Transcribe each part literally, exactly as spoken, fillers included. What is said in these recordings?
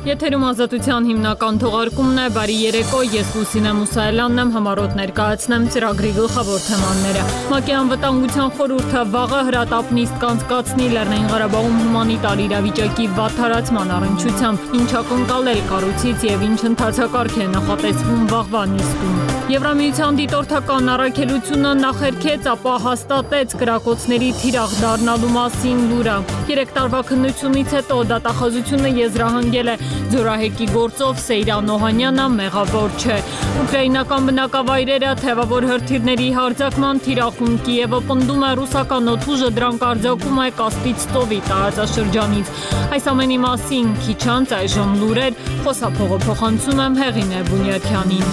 Եթերում ազատության հիմնական թողարկումն է, բարի երեկո, ես Լուսինե Մուսայելյանն եմ, համառոտ ներկայացնեմ ծրագրի գլխավոր թեմաները։ ՄԱԿ-ի անվտանգության խորհուրդը վաղը հրատապ նիստ կանցկացնի Լեռնային Ղարաբաղում հումանիտար իրավիճակի վատթարացման առնչությամբ, ինչ ակնկալել կառույցից եւ ինչ ընթացակարգ է նախատեսվում վաղվա նիստում։ Եվրամիության դիտորդական առաքելությունը նախերքեց, ապա հաստատեց կրակոցների թիրախ դառնալու մասին լուրը։ Երեք տարվա քննությունից հետո դատախազությունը եզրահանգել է Ձորահեկի գործով Սեյրան Օհանյանը մեղավոր չէ։ Ուկրաինական բնակավայրերը թևավոր հրթիռների հարձակման թիրախում Կիևը պնդում է ռուսական օդուժը դրանք արձակում է Կասպից ծովի տարածաշրջանից։ Այս ամենի մասին քիչ անց այժմ լուրեր, խոսափողը փոխանցում եմ Հեղինե Բունյաթյանին։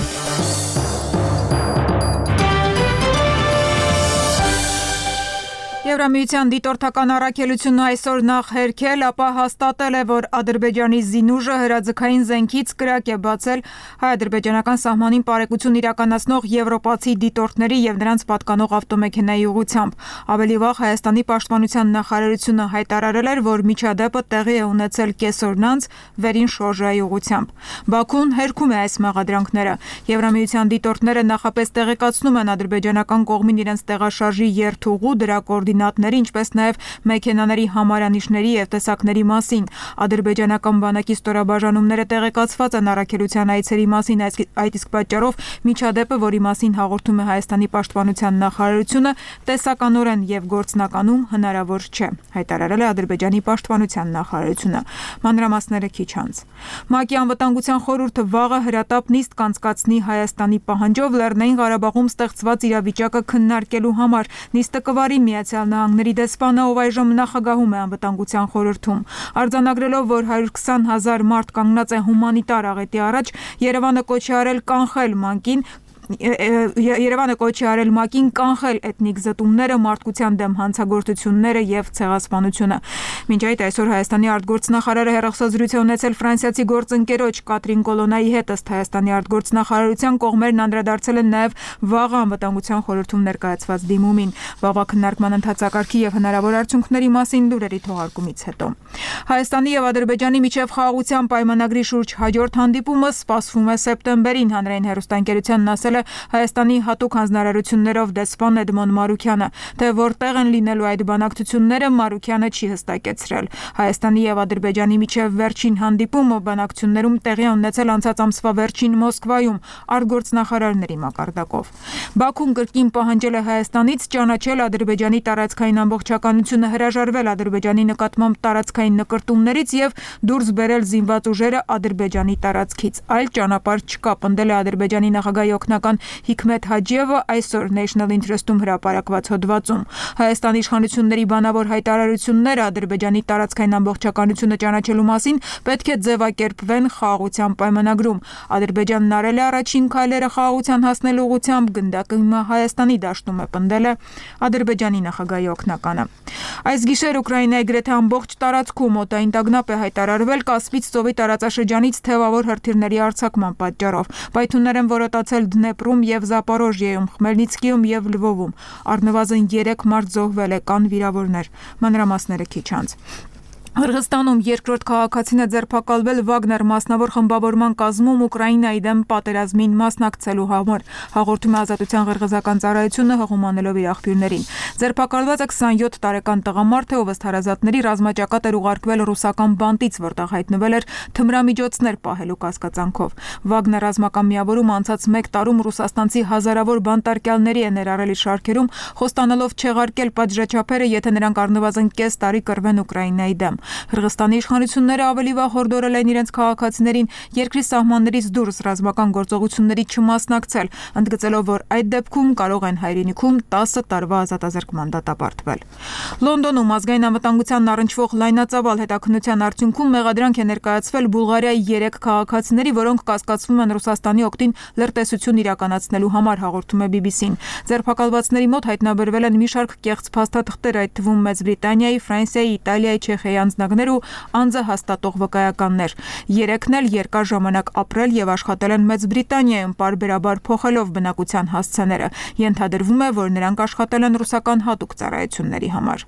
Եվրամիության դիտորդական առաքելությունը այսօր նախերքել, ապա հաստատել է, որ Ադրբեջանի զինուժը հրաձգային զենքից կրակ է բացել հայ-ադրբեջանական սահմանին պարեկություն իրականացնող եվրոպացի դիտորդների եւ նրանց պատկանող ավտոմեքենայի ուղղությամբ։ Ավելի վաղ Հայաստանի պաշտպանության նախարարությունը հայտարարել էր, որ միջադեպը տեղի է ունեցել կեսօրն անց վերին շորժայի ուղղությամբ։ Բաքուն հերքում է այս մեղադրանքները։ Եվրամիության դիտորդները նախապես տեղեկացնում են ադրբեջանական կողմին իրենց տեղաշարժի երթուղու, դրա կոորդինատների, ինչպես նաև մեքենաների համարանիշների եւ տեսակների մասին։ Ադրբեջանական բանակի ստորաբաժանումները տեղեկացված են առաքելության այցերի մասին, այդ իսկ պատճառով միջադեպը, որի մասին հաղորդում է Հայաստանի պաշտպանության նախարարությունը, տեսականորեն եւ գործնականում հնարավոր չէ, հայտարարել է Ադրբեջանի պաշտպանության նախարարությունը։ Մանրամասները քիչ անց։ ՄԱԿ-ի անվտանգության խորհուրդը վաղը հրատապ նիստ կանցկացնի Հայաստանի պահանջով Լեռնային Ղարաբաղում ստեղծված իրավիճակը քննարկելու համար։ Նիստը կվարի Միացյալ Նահանգների դեսպանը, ով այժմ նախագահում է անվտանգության խորհրդում։ Արձանագրելով, որ հարյուր քսան հազար մարդ կանգնած է հումանիտար աղետի առաջ, Երևանը կոչ է արել կանխել ՄԱԿ-ին Երևանը կոչ է արել ՄԱԿ-ին կանխել էթնիկ զտումները, մարդկության դեմ հանցագործությունները եւ ցեղասպանությունը։ Մինչ այդ այսօր Հայաստանի արտգործնախարարը հեռախոսազրույց է ունեցել ֆրանսիացի գործընկերոջ Կատրին Կոլոնայի հետ, ըստ Հայաստանի արտգործնախարարության կողմերն անդրադարձել են նաեւ վաղ անվտանգության խորհրդում ներկայացված դիմումին, վաղվա քննարկման ընթացակարգի եւ հնարավոր արդյունքների մասին լուրերի թողարկումից հետո։ Հայաստանի եւ Ադրբեջանի միջև խաղաղության պայմանագրի շուրջ հաջորդ հանդիպումը սպասվում է սեպտեմբերին, հանրային հեռուստաընկերությանն ասել Հայաստանի հատուկ հանձնարարություններով դեսպան Էդմոն Մարուքյանը, թե որտեղ են լինելու այդ բանակցությունները Մարուքյանը չի հստակեցրել։ Հայաստանի եւ Ադրբեջանի միջև վերջին հանդիպումը բանակցություններում տեղի ունեցել անցած ամսվա վերջին Մոսկվայում արտգործնախարարների մակարդակով։ Բաքուն կրկին պահանջել է Հայաստանից ճանաչել Ադրբեջանի տարածքային ամբողջականությունը, հրաժարվել Ադրբեջանի նկատմամբ տարածքային նկրտումներից եւ դուրս բերել զինված ուժերը Ադրբեջանի տարածքից։ Այլ ճանապարհ չկա, պնդել է Ադրբեջանի նախագահի օգնական Հիկմետ Հաջիևը այսօր National Interest-ում հրապարակված հոդվածում։ Հայաստանի իշխանությունների բանավոր հայտարարությունները Ադրբեջանի տարածքային ամբողջականությունը ճանաչելու մասին պետք է ձևակերպվեն խաղաղության պայմանագրում։ Ադրբեջանն արել է առաջին քայլերը խաղաղության հասնելու ուղղությամբ, գնդակը հիմա Հայաստանի դաշտում է, պնդել է Ադրբեջանի նախագահի օգնականը։ Այս գիշեր Ուկրաինայի գրեթե ամբողջ տարածքում օդային տագնապ է հայտարարվել Կասպից ծովի տարածաշրջանից թևավոր հրթիռների արձակման պատճառով։ Պայթյուններ են որոտացել Դնեպրում եւ Զապորոժիեում, Խմելնիցկիում եւ Լվովում։ Առնվազն երեք մարդ զոհվել է, կան վիրավորներ։ Մանրամասները քիչ անց։ Հրղստանում երկրորդ քաղաքացին է ձերբակալվել Վագներ մասնավոր խմբավորման կազմում Ուկրաինայի դեմ պատերազմին մասնակցելու համար, հաղորդում է Ազատության ղրղզական ծառայությունը հղումանելով իր աղբյուրներին։ Ձերբակալվածը քսանյոթ տարեկան տղամարդ է, ով ըստ հարազատների ռազմաճակատ էր ուղարկվել ռուսական բանտից, որտեղ հայտնվել էր թմրամիջոցներ պահելու կասկածանքով։ Վագներ ռազմական միավորում անցած մեկ տարում ռուսաստանցի հազարավոր բանտարկյալների է ներառել իր շարքերում, խոստանալով չեղարկել պատժաչափերը, եթե նրանք առնվազն կես տարի կռվեն Ուկրաինայի դեմ։ Հրղստանի իշխանությունները ավելի վաղ հորդորել են իրենց քաղաքացիներին երկրի սահմաններից դուրս ռազմական գործողությունների չմասնակցել, ընդգծելով, որ այդ դեպքում կարող են հայրենիքում տասը տարվա ազատազրկման դատապարտվել։ Լոնդոնում ազգային անվտանգությանն առնչվող լայնածավալ հետաքննության արդյունքում մեղադրանք է ներկայացվել Բուլղարիայի երեք քաղաքացիների, որոնք կասկածվում են Ռուսաստանի օգտին լրտեսություն իրականացնելու համար, հաղորդում է բի բի սին։ Ձերբակալվածների մոտ հայտնաբերվել են մի շարք կեղծ փաստաթղթեր, այդ թվում Մեծ Բրիտանիայի, Ֆրանսիայի, Իտալիայի, Չեխիայի ստանձնագներ ու անձը հաստատող վկայականներ։ Երեքն էլ երկար ժամանակ ապրել եւ աշխատել են Մեծ Բրիտանիայում, պարբերաբար փոխելով բնակության հասցեները։ Ենթադրվում է, որ նրանք աշխատել են ռուսական հատուկ ծառայությունների համար։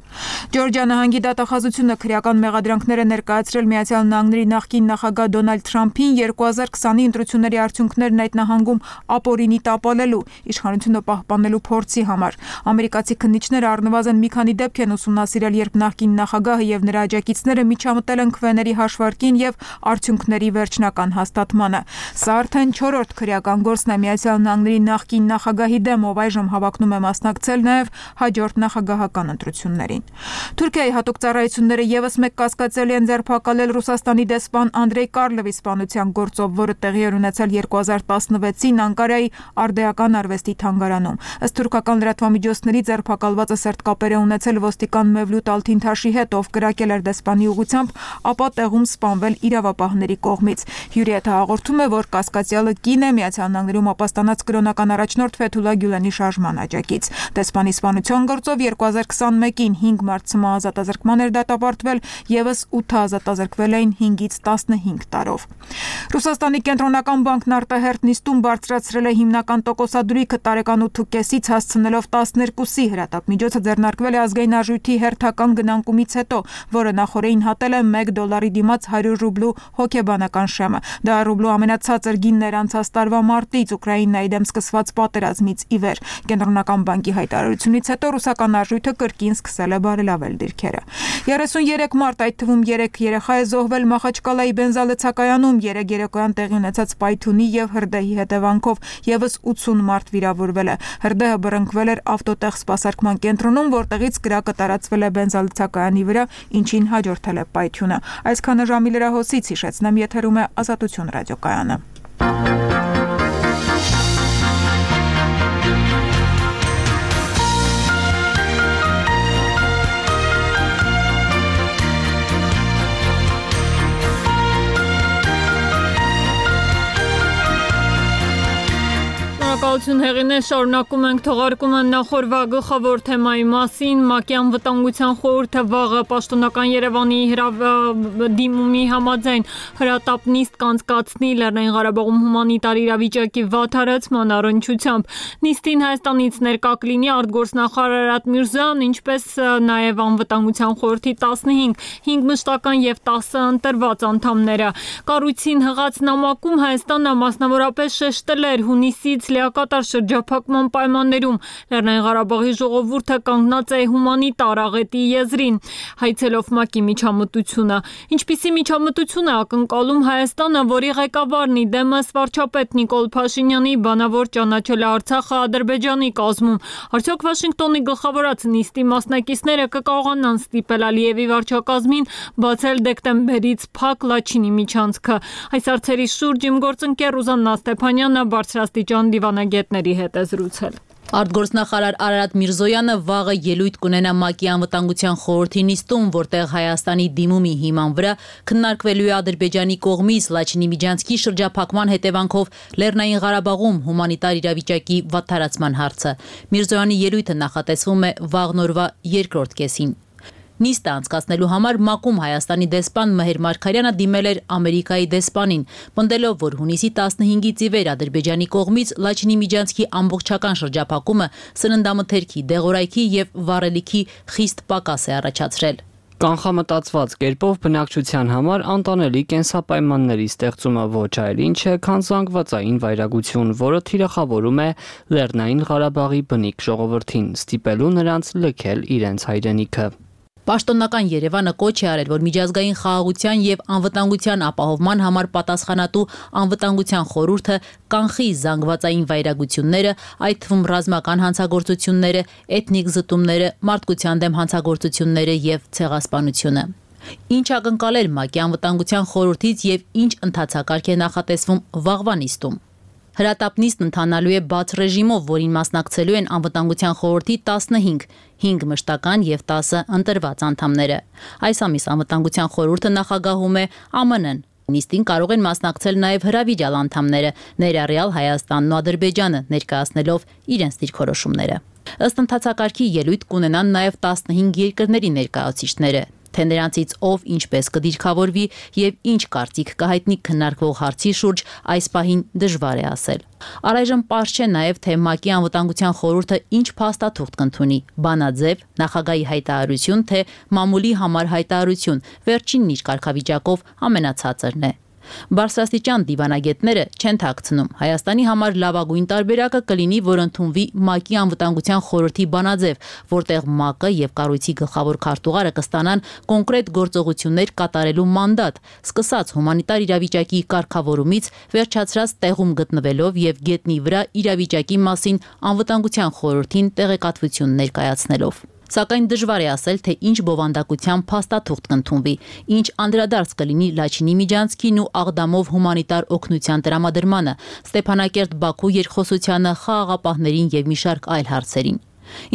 Ջորջիա նահանգի դատախազությունը քրեական մեղադրանքներ է ներկայացրել Միացյալ Նահանգների նախկին նախագահ Դոնալդ Թրամփին երկու հազար քսանի ընտրությունների արդյունքներն այդ նահանգում ապօրինի տապալելու, իշխանությունը պահպանելու փորձի համար։ Ամերիկացի քննիչները առնվազն մի քանի դեպք են ուսումնասիրել, երբ նախկին նախագահը եւ նրա աջակիցները միջամտել են քվեների հաշվարկին եւ արդյունքների վերջնական հաստատմանը։ Սա արդեն չորրորդ քրեական գործն է Միացյալ Նահանգների նախկին նախագահի դեմ, ով այժմ հավակնում է մասնակցել նաեւ հաջորդ նախագահական ընտրություններին։ Թուրքիայի հատուկ ծառայությունները եւս մեկ կասկածելի են ձերբակալել Ռուսաստանի դեսպան Անդրեյ Կարլովի սպանության գործով, որը տեղի էր ունեցել երկու հազար տասնվեցին Անկարայի արդեական արվեստի թանգարանում։ Ըստ թուրքական լրատվամիջոցների ձերբակալվածը սերտ կապեր է ունեցել ոստիկան Մևլութ Ալթինթաշի հետ, ով կրակել էր դեսպանի ուղղությամբ, ապա տեղում սպանվել իրավապահների կողմից։ Հյուրիեթը հաղորդում է, որ կասկածյալը կին է Միացյալ Նահանգներում ապաստանած կրոնական առաջնորդ Ֆեթուլա Գյուլենի շարժման աջակից։ Դեսպանի սպանության գործով երկու հազար քսանմեկին հինգ մարդ ցմահ ազատազրկման էր դատապարտվել, եւս ութը ազատազրկվել էին հինգից տասնհինգ տարով։ Ռուսաստանի կենտրոնական բանկն արտահերթ նիստում բարձրացրել է հիմնական տոկոսադրույքը տարեկան ութ կեսից հասցնելով տասներկուսի։ Հրատապ-միջոցը ձեռնարկվել է ազգային արժույթի հերթական գնանկումից հետո, որը նախորդին հատել է մեկ դոլարի դիմաց հարյուր ռուբլու հոգեբանական շեմը։ Դա ռուբլու ամենացածր գինն էր անցած տարվա մարտից Ուկրաինայի դեմ սկսված պատերազմից ի վեր։ Կենտրոնական բանկի հայտարարությունից հետո ռուսական արժույթը կրկին սկսել է բարելավել դիրքերը։ երեսունյերեք մարդ, այդ թվում երեք երեխա է զոհվել Մախաչկալայի բենզալցակայանում երեկ երեկոյան տեղի ունեցած պայթյունի եւ հրդեհի հետևանքով, եւս ութսուն մարդ վիրավորվել է։ Հրդեհը բռնկվել էր ավտոտեղ սպասարկման կենտրոնում, որտեղից կրակը տարածվել է բենզալցակայանի վրա, ինչին հաջորդել է պայթյունը։ Այսքանը ժամի լրահոսից հիշեցնեմ, եթերում է Ազատություն ռադիոկայանը։ Շնորհակալություն հեղինե, շարունակում ենք թողարկումը նախորդ գլխավոր թեմայի մասին։ ՄԱԿ-ի անվտանգության խորհուրդը վաղը պաշտոնական Երևանի դիմումի համաձայն հրատապ նիստ կանցկացնի Լեռնային Ղարաբաղում հումանիտար իրավիճակի վատթարացման առնչությամբ։ Նիստին Հայաստանից ներկա կլինի արտգործնախարար Արարատ Միրզոյան, ինչպես նաև անվտանգության խորհրդի տասնհինգ, հինգ մշտական եւ տասը ընտրված անդամները։ Կառույցին հղած նամակում Հայաստանը մասնավորապես շեշտել էր հունիսից լիակատար շրջափակման պայմաններում Լեռնային Ղարաբաղի ժողովուրդը կանգնած է հումանիտար աղետի եզրին, հայցելով ՄԱԿ-ի միջամտությունը։ Ինչպիսի միջամտություն է ակնկալում Հայաստանը, որի ղեկավարն ի դեմս վարչապետ Նիկոլ Փաշինյանի բանավոր ճանաչել է Արցախը Ադրբեջանի կազմում։ Արդյոք Վաշինգտոնի գլխավորած նիստի մասնակիցները կկարողանան ստիպել Ալիևի վարչակազմին բացել դեկտեմբերից փակ Լաչինի միջանցքը։ Այս հարցերի շուրջ իմ գործընկեր Ռուզաննա Ստեփանյանը բարձրաստիճան դիվանագետների հետ է զրուցել։ Արտգործնախարար Արարատ Միրզոյանը վաղը ելույթ կունենա ՄԱԿ-ի անվտանգության խորհրդի նիստում, որտեղ Հայաստանի դիմումի հիման վրա քննարկվելու է Ադրբեջանի կողմից Լաչինի միջանցքի շրջափակման հետևանքով Լեռնային Ղարաբաղում հումանիտար իրավիճակի վատթարացման հարցը։ Միրզոյանի ելույթը նախատեսվում է վաղ նորվա երկրորդ կեսին։ Նիստը անցկացնելու համար ՄԱԿ-ում Հայաստանի դեսպան Մհեր Մարգարյանը դիմել էր Ամերիկայի դեսպանին, պնդելով, որ հունիսի տասնհինգից ի վեր Ադրբեջանի կողմից Լաչինի միջանցքի ամբողջական շրջափակումը սննդամթերքի, դեղորայքի եւ վառելիքի խիստ պակաս է առաջացրել։ Կանխամտածված կերպով բնակչության համար անտանելի կենսապայմանների ստեղծումը ոչ այլ ինչ է, քան զանգվածային վայրագություն, որը թիրախավորում է Լեռնային Ղարաբաղի բնիկ ժողովրդին, ստիպելու նրանց լքել իրենց հայրենիքը։ Պաշտոնական Երևանը կոչ է արել, որ միջազգային խաղաղության եւ անվտանգության ապահովման համար պատասխանատու անվտանգության խորհուրդը կանխի զանգվածային վայրագությունները, այդ թվում ռազմական հանցագործությունները, էթնիկ զտումները, մարդկության դեմ հանցագործությունները եւ ցեղասպանությունը։ Ինչ ակնկալել ՄԱԿ-ի անվտանգության խորհրդից եւ ինչ ընթացակարգ է նախատեսվում վաղվա նիստում։ Հրատապ նիստն ընթանալու է բաց ռեժիմով, որին մասնակցելու են անվտանգության խորհրդի տասնհինգ, հինգ մշտական եւ տասը ընտրված անդամները։ Այս ամիս անվտանգության խորհուրդը նախագահում է Α M N-ն։ Նիստին կարող են մասնակցել նաեւ հրավիրյալ անդամները, ներառյալ Հայաստանն ու Ադրբեջանը, ներկայացնելով իրենց դիրքորոշումները։ Ըստ ընթացակարգի ելույթ կունենան նաեւ տասնհինգ երկրների ներկայացուցիչները։ թե նրանցից ով ինչպես կդիրքավորվի եւ ինչ կարծիք կհայտնի քննարկվող հարցի շուրջ այս պահին դժվար է ասել։ Առայժմ պարզ չէ նաեւ թե ՄԱԿ-ի անվտանգության խորհուրդը ինչ փաստաթուղթ կընդունի՝ բանաձև, նախագահի հայտարարություն, թե մամուլի համար հայտարարություն, վերջինն իր կարգավիճակով ամենացածրն է։ Բարձրաստիճան դիվանագետները չեն թաքցնում։ Հայաստանի համար լավագույն տարբերակը կլինի, որ ընդունվի ՄԱԿ-ի անվտանգության խորհրդի բանաձև, որտեղ ՄԱԿ-ը եւ կառույցի գլխավոր քարտուղարը կստանան կոնկրետ գործողություններ կատարելու մանդատ, սկսած հումանիտար իրավիճակի կարգավորումից, վերջացրած տեղում գտնվելով եւ գետնի վրա իրավիճակի մասին անվտանգության խորհրդին տեղեկատվություն ներկայացնելով։ Սակայն դժվար է ասել, թե ինչ բովանդակության փաստաթուղթ կընդունվի, ինչ անդրադարձ կլինի Լաչինի միջանցքին ու Աղդամով հումանիտար օգնության տրամադրմանը, Ստեփանակերտ-Բաքու երկխոսությանը, խաղաղապահներին եւ մի շարք այլ հարցերին։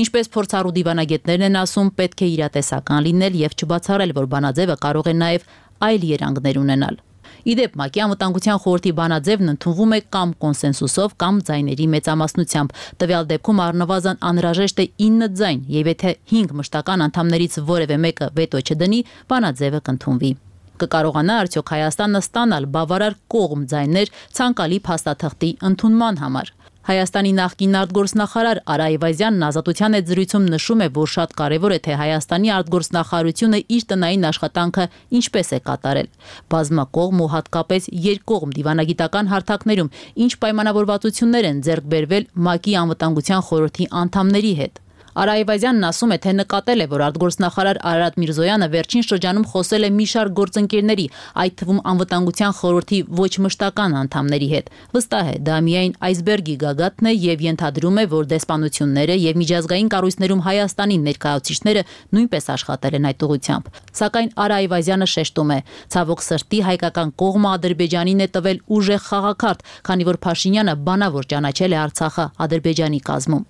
Ինչպես փորձառու դիվանագետներն են ասում, պետք է իրատեսական լինել եւ չբացառել, որ բանաձևը կարող է նաեւ այլ երանգներ ունենալ։ Իդեպ ՄԱԿ-ի անվտանգության խորհրդի բանաձևն ընդունվում է կամ կոնսենսուսով, կամ ձայների մեծամասնությամբ։ Տվյալ դեպքում առնվազն անհրաժեշտ է ինը ձայն, եւ եթե հինգ մշտական անդամներից որևէ մեկը վետո չդնի, բանաձևը կընդունվի։ Կկարողանա արդյոք Հայաստանը ստանալ բավարար կողմ ձայներ ցանկալի փաստաթղթի ընդունման համար։ Հայաստանի նախկին արտգործնախարար Արա Այվազյանն Ազատության հետ զրույցում նշում է, որ շատ կարևոր է, թե Հայաստանի արտգործնախարարությունը իր տնային աշխատանքը ինչպես է կատարել։ Բազմակողմ ու հատկապես երկկողմ դիվանագիտական հարթակներում ինչ պայմանավորվածություններ են ձեռք բերվել ՄԱԿ-ի անվտանգության խորհրդի անդամների հետ։ Արա Այվազյանն ասում է, թե նկատել է, որ արտգործնախարար Արարատ Միրզոյանը վերջին շրջանում խոսել է մի շարք գործընկերների, այդ թվում անվտանգության խորհրդի ոչ մշտական անդամների հետ։ Վստահ է, դա միայն այսբերգի գագաթն է եւ ենթադրում է, որ դեսպանությունները եւ միջազգային կառույցներում Հայաստանի ներկայացուցիչները նույնպես աշխատել են այդ ուղղությամբ։ Սակայն Արա Այվազյանը շեշտում է, ցավոք սրտի հայկական կողմը Ադրբեջանին է տվել ուժեղ խաղակարդ, քանի որ Փաշինյանը բանավոր ճանաչել է Արցախը Ադրբեջանի կազմում։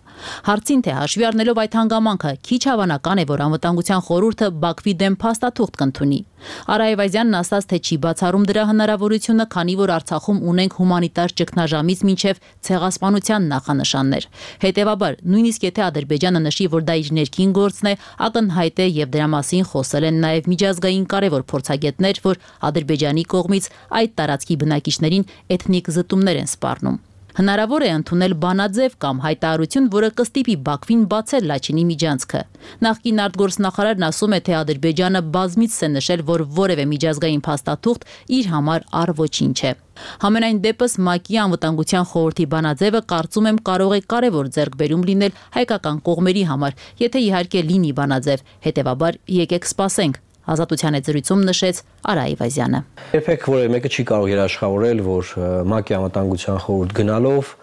Հարցին թե հաշվի առնելով այդ հանգամանքը, քիչ հավանական է, որ անվտանգության խորհուրդը Բաքվի դեմ փաստաթուղթ կընդունի։ Արա Այվազյանն ասաց, թե չի բացառում դրա հնարավորությունը, քանի որ Արցախում ունենք հումանիտար ճգնաժամից մինչև ցեղասպանության նախանշաններ։ Հետևաբար, նույնիսկ եթե Ադրբեջանը նշի, որ դա իր ներքին գործն է, ակնհայտ է եւ դրա մասին խոսել են նաեւ միջազգային կարևոր փորձագետներ, որ Ադրբեջանի կողմից այդ տարածքի բնակիչներին էթնիկ զտումներ են սպառնում։ Հնարավոր է ընդունել բանաձև կամ հայտարարություն, որը կստիպի Բաքվին բացել Լաչինի միջանցքը։ Նախկին արտգործնախարարն ասում է, թե Ադրբեջանը բազմիցս է նշել, որ որևէ միջազգային փաստաթուղթ իր համար առ ոչինչ է։ Համենայն դեպս ՄԱԿ-ի անվտանգության խորհրդի բանաձևը կարծում եմ կարող է կարևոր ձեռքբերում լինել հայկական կողմերի համար, եթե իհարկե լինի բանաձև։ Հետևաբար եկեք սպասենք։ Ազատության հետ զրույցում նշեց Արա Այվազյանը։ Երբեք որևէ մեկը չի կարող երաշխավորել, որ ՄԱԿ-ի անվտանգության խորհուրդ գնալով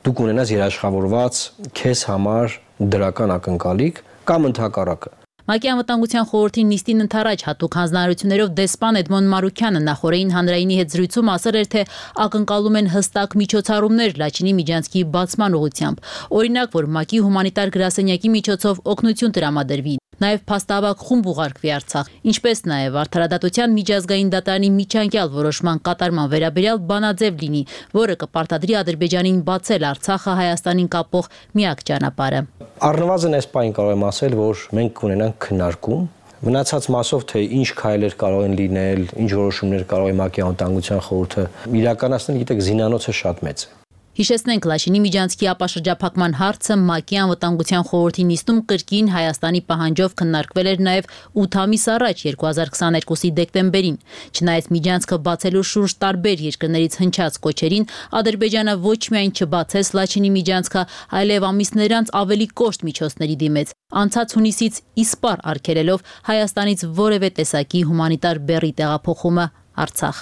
դուք ունենաս երաշխավորված քեզ համար դրական ակնկալիք կամ ընդհակառակը։ ՄԱԿ-ի անվտանգության խորհրդի նիստին ընթരാճ հատուկ հանձնարարություններով դեսպան Էդմոն Մարուքյանը նախորդին հանրայինի հետ զրույցում ասել էր, թե ակնկալում են հստակ միջոցառումներ Լաչինի միջանցքի բացման ուղղությամբ։ Օրինակ, որ ՄԱԿ-ի հումանիտար գրասենյակի միջոցով օգնություն տրամադրվի, նաև փաստավակ խումբ ուղարկվի Արցախ, ինչպես նաև արդարադատության միջազգային դատարանի միջանկյալ որոշման կատարման վերաբերյալ բանաձև լինի, որը կպարտադրի Ադրբեջանին բացել Արցախը Հայաստանին կապող միակ ճանապարհը։ Առնվազն այս պահին կարող եմ ասել, որ մենք կունենանք քննարկում, մնացած մասով թե ինչ քայլեր կարող են լինել, ինչ որոշումներ կարող է ՄԱԿ-ի անվտանգության խորհուրդը իրականացնել, գիտեք, զինանոցը շատ մեծ է։ Հիշեցնենք, Լաչինի միջանցքի ապաշրջափակման հարցը ՄԱԿ-ի անվտանգության խորհրդի նիստում կրկին Հայաստանի պահանջով քննարկվել էր նաև ութ ամիս առաջ երկու հազար քսաներկուսի դեկտեմբերին։ Չնայած միջանցքը բացելու շուրջ տարբեր երկրներից հնչած կոչերին, Ադրբեջանը ոչ միայն չբացեց Լաչինի միջանցքը, այլև ամիսներ անց ավելի կոշտ միջոցների դիմեց, անցած հունիսից իսպառ արգելելով Հայաստանից որևէ տեսակի հումանիտար բեռի տեղափոխումը Արցախ։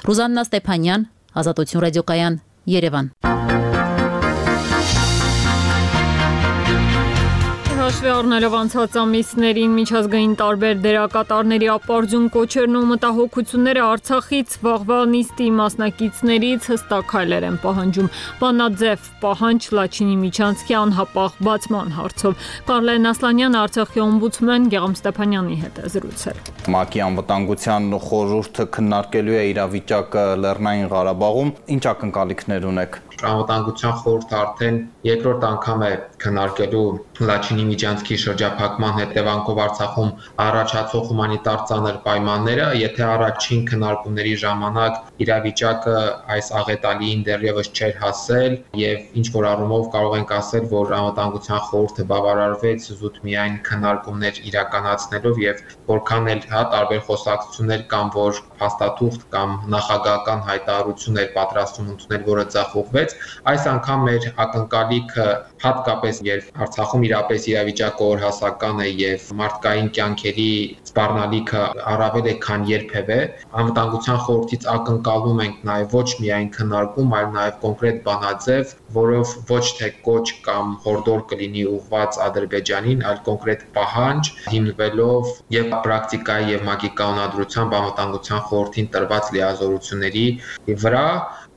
Ռուզաննա Ստեփանյան, Ազատություն ռադիոկայան, Երևան։ Հաշվի առնելով անցած ամիսներին միջազգային տարբեր դերակատարների ապարդյուն կոչերն ու մտահոգությունները Արցախից վաղվա նիստի մասնակիցներից հստակ քայլեր են պահանջում։ Բանաձև պահանջ Լաչինի միջանցքի անհապաղ բացման հարցով։ Կարլեն Ասլանյանը Արցախի օմբուդսմեն Գեղամ Ստեփանյանի հետ է զրուցել։ ՄԱԿ-ի անվտանգության խորհուրդը քննարկելու է իրավիճակը Լեռնային Ղարաբաղում։ Ինչ ակնկալիքներ ունեք։ Անվտանգության խորհուրդը արդեն երկրորդ անգամ է քննարկելու Լաչինի Լիբիջանսկի շրջափակման հետևանքով Արցախում առաջացող հումանիտար ծանր պայմանները, եթե առաջին քննարկումների ժամանակ իրավիճակը այս աղետալիին դեռևս չէր հասել եւ ինչ որ առումով կարող ենք ասել, որ Անվտանգության խորհուրդը բավարարվեց զուտ միայն քննարկումներ իրականացնելով եւ որքան էլ հա տարբեր խոսակցություններ կամ որ փաստաթուղթ կամ նախագահական հայտարարություն էր պատրաստում ընդունել, որը ձախողվեց, այս անգամ մեր ակնկալիքը հատկապես երբ Արցախում իրապես իրավիճակը օրհասական է եւ մարդկային կյանքերի սպառնալիքը առավել է քան երբևէ, Անվտանգության խորհրդից ակնկալում ենք նաեւ ոչ միայն քննարկում, այլ նաեւ կոնկրետ բանաձև, որով ոչ թե կոչ կամ հորդոր կլինի ուղղված Ադրբեջանին, այլ կոնկրետ պահանջ հիմնվելով եւ պրակտիկայի եւ ՄԱԿ-ի կանոնադրությամբ Անվտանգության խորհրդին տրված լիազորությունների վրա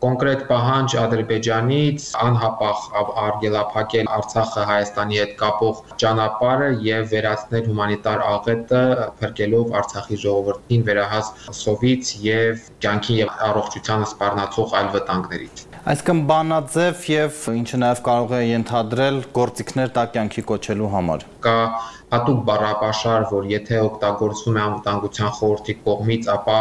կոնկրետ պահանջ Ադրբեջանից անհապաղ արգելափակել Արցախը Հայաստանի հետ կապող ճանապարհը եւ վերացնել հումանիտար աղետը, փրկելով Արցախի ժողովրդին վերահաս սովից եւ կյանքի եւ առողջությանը սպառնացող այլ վտանգներից։ Այսինքն բանաձև եւ ինչը նաեւ կարող է ենթադրել գործիքներ տա կյանքի կոչելու համար։ Կա հատուկ բառապաշար, որ եթե օգտագործվում է Անվտանգության խորհրդի կողմից, ապա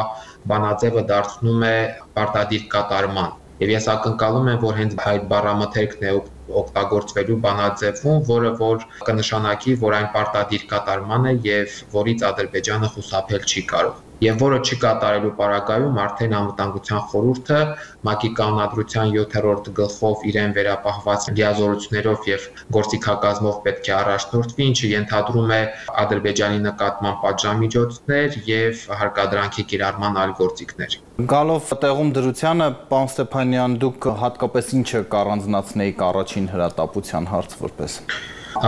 բանաձևը դարձնում է պարտադիր կատարման։ Եվ ես ակնկալում եմ, որ հենց այդ բառամթերքն է օգտագործվելու բանաձևում, որը որ կնշանակի, որ այն պարտադիր կատարման է եւ որից Ադրբեջանը խուսափել չի կարող։ Եվ որը չկատարելու պարագայում արդեն Անվտանգության խորհուրդը ՄԱԿ-ի կանոնադրության յոթերորդ գլխով իրեն վերապահված լիազորություններով եւ գործիքակազմով պետք է առաջնորդվի, ինչը ենթադրում է Ադրբեջանի նկատմամբ պատժամիջոցներ եւ հարկադրանքի կիրառման այլ գործիքներ։ Գալով տեղում դրությանը, պարոն Ստեփանյան, դուք հատկապես ինչը կառանձնացնեիք առաջին հրատապության հարց որպես։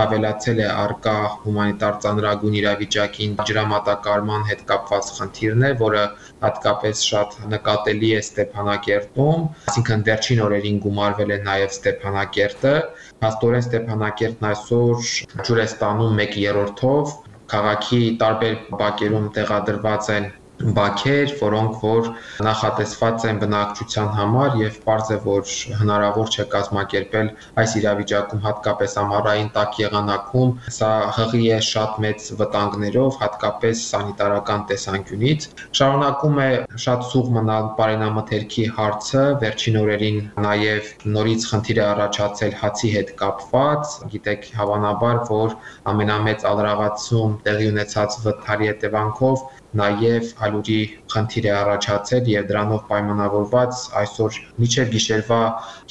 Ավելացել է արկա հումանիտար ծանրագույն իրավիճակին ջրամատակարարման հետ կապված խնդիրն է, որը հատկապես շատ նկատելի է Ստեփանակերտում, այսինքն վերջին օրերին գումարվել է նաև Ստեփանակերտը, հաստորեն Ստեփանակերտն այսօր ջուր է ստանում մեկ երրորդով, քաղաքի տարբեր բակերում տեղադրված են բակեր, որոնք որ նախատեսված են բնակչության համար եւ պարզ է, որ հնարավոր չէ կազմակերպել այս իրավիճակում հատկապես ամառային տաք եղանակում, սա հղի է շատ մեծ վտանգներով, հատկապես սանիտարական տեսանկյունից։ Շարունակում է շատ սուղ մնալ բարենամթերքի հարցը, վերջին օրերին նաեւ նորից խնդիր է առաջացել հացի հետ կապված, գիտեք հավանաբար, որ ամենամեծ ալրաղացում տեղի ունեցած վթարի հետևանքով նաև ալուրի խնդիր է առաջացել եւ դրանով պայմանավորված այսօր միջև գիշերվա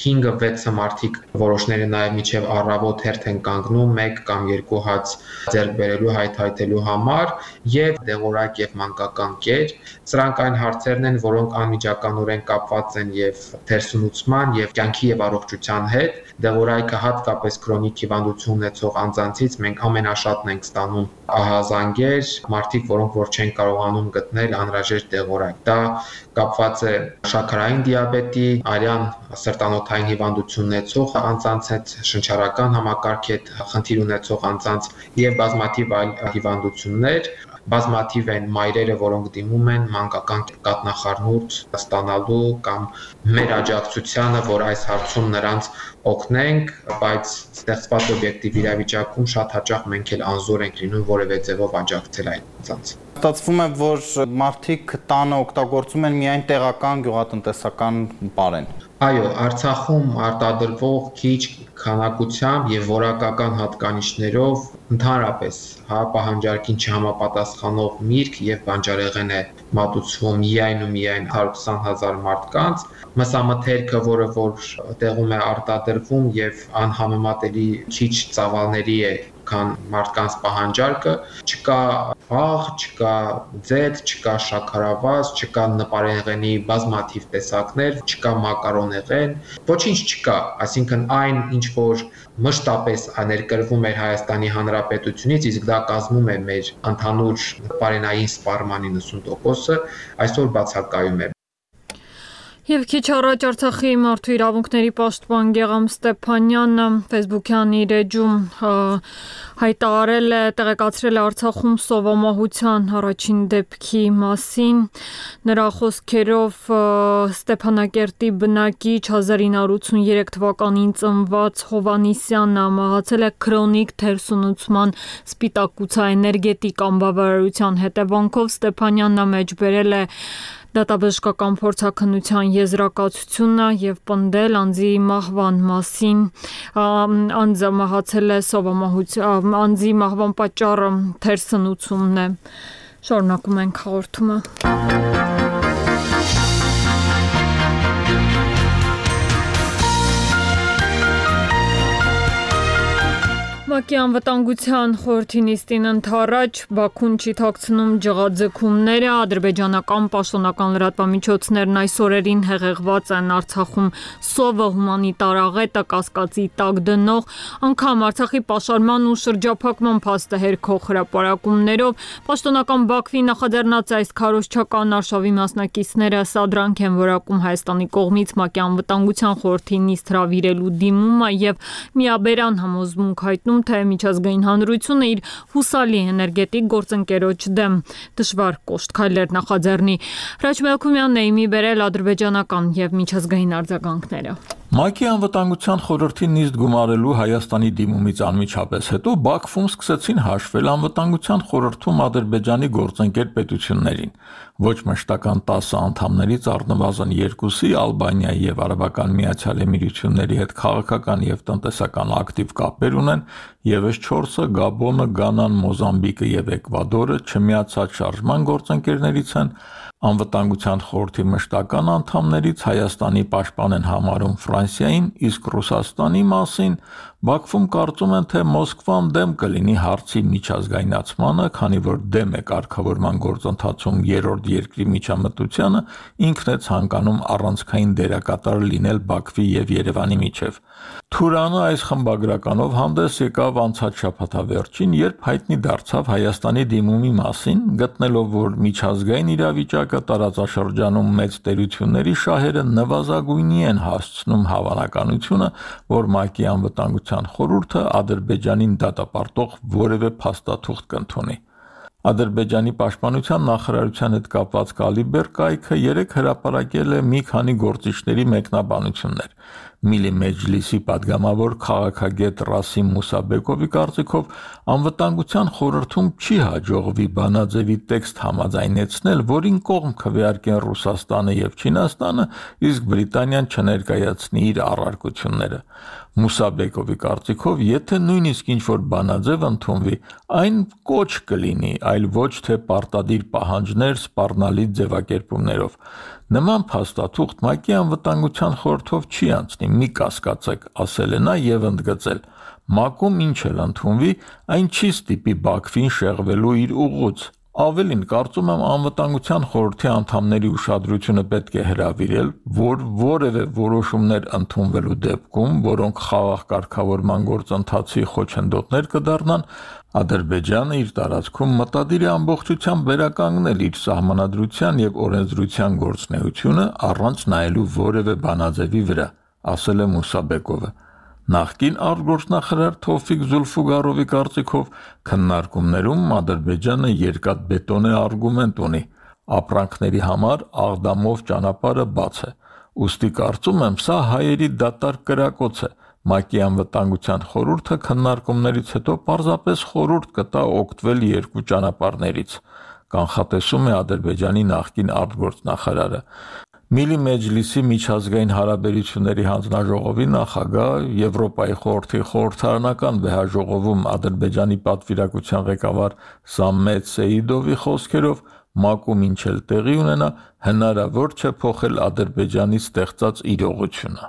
հինգը վեցը մարդիկ որոշները նաև միջև առավոտ հերթ են կանգնում մեկ կամ երկու հաց ձեռք բերելու հայթայթելու համար եւ դեղորայք եւ մանկական կեր։ Սրանք այն հարցերն են, որոնք անմիջականորեն կապված են եւ թերսնուցման եւ կյանքի եւ առողջության հետ։ Դեղորայքը հատկապես քրոնիկ հիվանդություն ունեցող անձանցից մենք ամենաշատն ենք ստանում ահազանգեր, մարդիկ, որոնք որ չեն կարողանում գտնել անհրաժեշտ դեղորայք։ Դա կապված է շաքարային դիաբետի, արյան սրտանոթային հիվանդություն ունեցող անձանց հետ, շնչառական համակարգի հետ խնդիր ունեցող անձանց եւ բազմաթիվ այլ հիվանդություններ։ Բազմաթիվ են մայրերը, որոնք դիմում են մանկական կաթնախառնուրդ ստանալու կամ մեր աջակցությանը, որ այս հարցում նրանց օգնենք, բայց ստեղծված օբյեկտիվ իրավիճակում շատ հաճախ մենք էլ անզոր ենք լինում որևէ ձևով աջակցել այն անձանց։ Ստացվում է, որ մարդիկ տանը օգտագործում են միայն տեղական գյուղատնտեսական պարեն։ Այո, Արցախում արտադրվող քիչ քանակությամբ եւ որակական հատկանիշներով ընդհանրապես հա պահանջարկին չհամապատասխանող միրգ եւ բանջարեղեն է մատուցվում միայն ու միայն հարյուր քսան հազար մարդկանց, մսամթերքը, որը որ տեղում է արտադրվում եւ անհամեմատելի քիչ ծավալների է քան մարդկանց պահանջարկը, չկա աղ, չկա ձեթ, չկա շաքարավազ, չկա նպարեղենի բազմաթիվ տեսակներ, չկա մակարոնեղեն, ոչինչ չկա, այսինքն այն ինչ որ մշտապես ներկրվում էր Հայաստանի Հանրապետությունից, իսկ դա կազմում է մեր ընդհանուր պարենային սպառման իննսուն տոկոսը, այսօր բացակայում է։ Եվ քիչ առաջ Արցախի մարդու իրավունքների պաշտպան Գեգամ Ստեփանյանը Facebook-յան իր էջում հայտարարել է, տեղեկացրել է Արցախում սովամահության առաջին դեպքի մասին։ Նրա խոսքերով Ստեփանակերտի բնակիչ հազար ինը հարյուր ութսուներեք թվականին ծնված Հովանիսյանը մահացել է քրոնիկ թերսնուցման սպիտակուցաէներգետիկ անբավարարության հետևանքով։ Ստեփանյանն մեջ բերել է դատաբժշկական փորձաքննության եզրակացությունը եւ պնդել անձի մահվան մասին։ Անձը մահացել է սովամահության, անձի մահվան պատճառը թերսնուցումն է։ Շարունակում ենք հաղորդումը։ ՄԱԿ-ի անվտանգության խորհրդի նիստին ընդառաջ Բաքուն չի թաքցնում ջղաձգումները, ադրբեջանական պաշտոնական լրատվամիջոցներն այս օրերին հեղեղված են Արցախում սովը հումանիտար աղետը կասկածի տակ դնող, անգամ Արցախի պաշարման ու շրջափակման փաստը հերքող հրապարակումներով։ Պաշտոնական Բաքվի նախաձեռնած այս քարոզչական արշավի մասնակիցները սադրանք են որակում Հայաստանի կողմից ՄԱԿ-ի անվտանգության խորհրդի նիստ հրավիրելու դիմումը եւ միաբերան համոզմունք հայտնում, թե միջազգային հանրությունը իր հուսալի էներգետիկ գործընկերոջ դեմ դժվար կոշտ քայլեր նախաձեռնի։ Հրաչ Մելքումյանն է իմի բերել ադրբեջանական եւ միջազգային արձագանքները։ ՄԱԿ-ի անվտանգության խորհրդի նիստ գումարելու Հայաստանի դիմումից անմիջապես հետո Բաքվում սկսեցին հաշվել անվտանգության խորհրդում Ադրբեջանի գործընկեր պետություններին։ Ոչ մշտական տասը անդամներից առնվազն երկուսի Ալբանիայի եւ Արաբական Միացյալ Էմիրությունների հետ քաղաքական եւ տնտեսական ակտիվ կապեր ունեն, եւս չորսը Գաբոնը, Գանան, Մոզամբիկը եւ Էկվադորը չմիացած շարժման գործընկերներից են։ Անվտանգության խորհրդի մշտական անդամներից Հայաստանի պաշտպան են համարում Ֆրանսիային, իսկ Ռուսաստանի մասին Բաքվում կարծում են, թե Մոսկվան դեմ կլինի հարցի միջազգայնացմանը, քանի որ դեմ է կարգավորման գործընթացում երրորդ երկրի միջամտությանը, ինքն է ցանկանում առանցքային դերակատար լինել Բաքվի եւ Երևանի միջև։ Թուրանը այս խմբագրականով հանդես եկավ անցած շաբաթավերջին, երբ հայտնի դարձավ Հայաստանի դիմումի մասին, գտնելով, որ միջազգային իրավիճակը տարածաշրջանում մեծ տերությունների շահերը նվազագույնի են հասցնում հավանականությունը, որ ՄԱԿ-ի անվտանգության խորհուրդը Ադրբեջանին դատապարտող որևէ փաստաթուղթ կընդունի։ Ադրբեջանի պաշտպանության նախարարության հետ կապված Կալիբեր կայքը երեք հրապարակել է մի քանի գործիչների մեկնաբանություններ։ Միլի Մեջլիսի падգամավոր քաղաքագետ Ռասիմ Մուսաբեկովի կարծիքով անվտանգության խորհրդում չի հաջողվի բանաձևի տեքստ համաձայնեցնել, որին կողմ քվեարկեն Ռուսաստանը եւ Չինաստանը, իսկ Բրիտանիան չներկայացնի իր առարկությունները։ Մուսաբեկովի կարծիքով, եթե նույնիսկ ինչ-որ բանաձև ընդունվի, այն կոչ կլինի, այլ ոչ թե պարտադիր պահանջներ սպառնալի ձևակերպումներով։ Նման փաստաթուղթ ՄԱԿ-ի անվտանգության խորհրդով չի անցնի, մի կասկածեք, ասել է նա եւ ընդգծել. ՄԱԿ-ում ինչ էլ ընդունվի, այն չի ստիպի Բաքվին շեղվելու իր ուղուց։ Ավելին, կարծում եմ, անվտանգության խորհրդի անդամների ուշադրությունը պետք է հրավիրել, որ որևէ որոշումներ ընդունվելու դեպքում, որոնք խաղաղ կարգավորման գործընթացի խոչընդոտներ կդառնան, Ադրբեջանը իր տարածքում մտադիր է ամբողջությամբ վերականգնել իր սահմանադրության եւ օրենսդրության գործունեությունը առանց նայելու որևէ բանաձևի վրա, ասել է Մուսաբեկովը։ Նախկին արտգործնախարար Թովֆիկ Զուլֆուգարովի կարծիքով քննարկումներում Ադրբեջանը երկաթբետոնե արգումենտ ունի, ապրանքների համար Աղդամով ճանապարհը բաց է։ Ուստի կարծում եմ, սա հայերի դատարկ կրակոց է։ ՄԱԿ-ի անվտանգության խորհուրդը քննարկումներից հետո պարզապես խորհուրդ կտա օգտվել երկու ճանապարհներից, կանխատեսում է Ադրբեջանի նախկին արտգործնախարարը։ Միլի Մեջլիսի միջազգային հարաբերությունների հանձնաժողովի նախագահ, Եվրոպայի խորհրդի խորհրդարանական վեհաժողովում Ադրբեջանի պատվիրակության ղեկավար Սամմետ Սեիդովի խոսքերով ՄԱԿ-ում ինչ էլ տեղի ունենա, հնարավոր չէ փոխել Ադրբեջանի ստեղծած իրողությունը։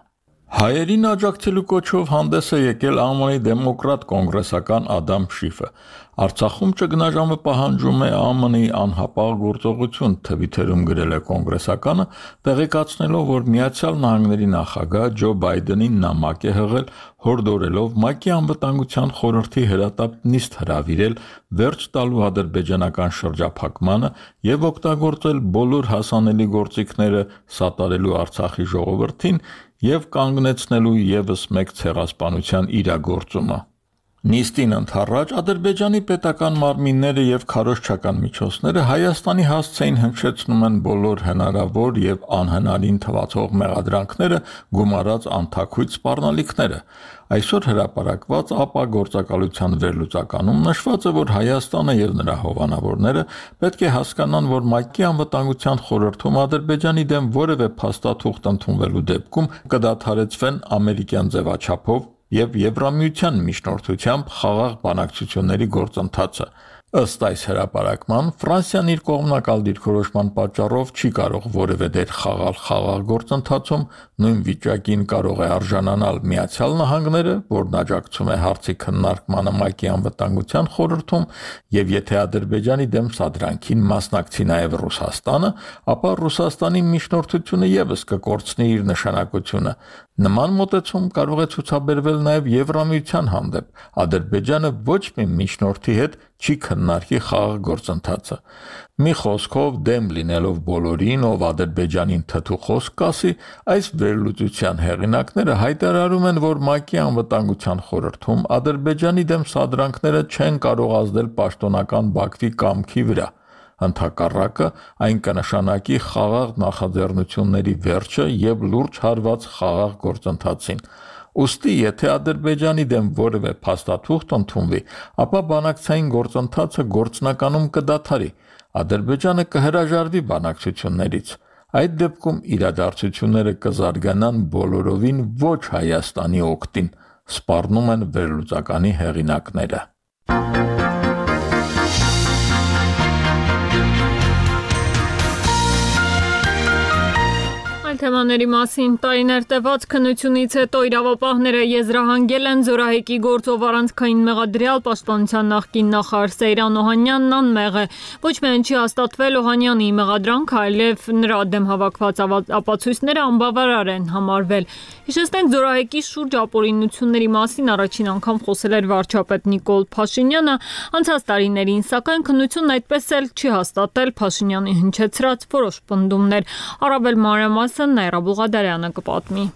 Հայերին աջակցելու կոչով հանդես է եկել ԱՄՆ-ի դեմոկրատ կոնգրեսական Ադամ Շիֆը։ Արցախում ճգնաժամը պահանջում է ԱՄՆ-ի անհապաղ գործողություն, Թվիթերում գրել է կոնգրեսականը, տեղեկացնելով, որ Միացյալ Նահանգների նախագահ Ջո Բայդենին նամակ է հղել, հորդորելով ՄԱԿ-ի անվտանգության խորհրդի հրատապ նիստ հրավիրել վերջ տալու ադրբեջանական շրջափակմանը եւ օգտագործել բոլոր հասանելի գործիքները սատարելու Արցախի ժողովրդին եւ կանգնեցնելու եւս մեկ ցեղասպանության իրագործումը։ Նիստին ընդառաջ Ադրբեջանի պետական մարմինները եւ քարոզչական միջոցները Հայաստանի հասցեին հնչեցնում են բոլոր հնարավոր եւ անհնարին թվացող մեղադրանքները, գումարած անթաքույց սպառնալիքները։ Այսօր հրապարակված ԱՊԱ գործակալության վերլուծականում նշված է, որ Հայաստանը եւ նրա հովանավորները պետք է հասկանան, որ ՄԱԿ-ի անվտանգության խորհրդում Ադրբեջանի դեմ որևէ փաստաթուղթ ընդունվելու դեպքում կդադարեցվեն ամերիկյան ձևաչափով եւ Եվրամիության միջնորդությամբ խաղաղ բանակցությունների գործընթացը։ Ըստ այս հրապարակման Ֆրանսիան իր կողմնակալ դիրքորոշման պատճառով չի կարող որևէ դեր խաղալ խաղաղ գործընթացում, նույն վիճակին կարող է արժանանալ Միացյալ Նահանգները, որն աջակցում է հարցի քննարկմանը ՄԱԿ-ի անվտանգության խորհրդում, եւ եթե Ադրբեջանի դեմ սադրանքին մասնակցի նաեւ Ռուսաստանը, ապա Ռուսաստանի միջնորդությունը եւս կկորցնի իր նշանակությունը։ Նման մոտեցում կարող է ցուցաբերվել նաեւ Եվրամիության հանդեպ։ Ադրբեջանը ոչ մի միջնորդի հետ չի քննարկի խաղաղ գործընթացը։ Մի խոսքով դեմ լինելով բոլորին, ով Ադրբեջանին թթու խոսք կասի, այս վերլուծության հեղինակները հայտարարում են, որ ՄԱԿ-ի անվտանգության խորհրդում Ադրբեջանի դեմ սադրանքները չեն կարող ազդել պաշտոնական Բաքվի կամքի վրա։ Ընդհակառակը այն կնշանակի խաղաղ նախաձեռնությունների վերջը եւ լուրջ հարված խաղաղ գործընթացին։ Ուստի եթե Ադրբեջանի դեմ որևէ փաստաթուղթ ընդունվի, ապա բանակցային գործընթացը գործնականում կդադարի։ Ադրբեջանը կհրաժարվի բանակցություններից։ Այդ դեպքում իրադարձությունները կզարգանան բոլորովին ոչ Հայաստանի օգտին, սպառնում են վերլուծականի հեղինակները։ Թեմաների մասին տարիներ տևած քննությունից հետո իրավապահները եզրահանգել են Զորահեկի գործով առանցքային մեղադրյալ պաշտպանության նախկին նախարար Սեյրան Օհանյանն անմեղ է։ Ոչ միայն չի հաստատվել Օհանյանի մեղադրանքը, այլև նրա դեմ հավաքված ապացույցները անբավարար են համարվել։ Հիշեցնենք, Զորահեկի շուրջ ապօրինությունների մասին առաջին անգամ խոսել էր վարչապետ Նիկոլ Փաշինյանը անցած տարիներին, սակայն քննությունն այդպես էլ չի հաստատել Փաշինյանի հնչեցրած որոշ պնդումներ։ Առավել մանրամասն Նաիրա Բուղադարյանը կպատմի։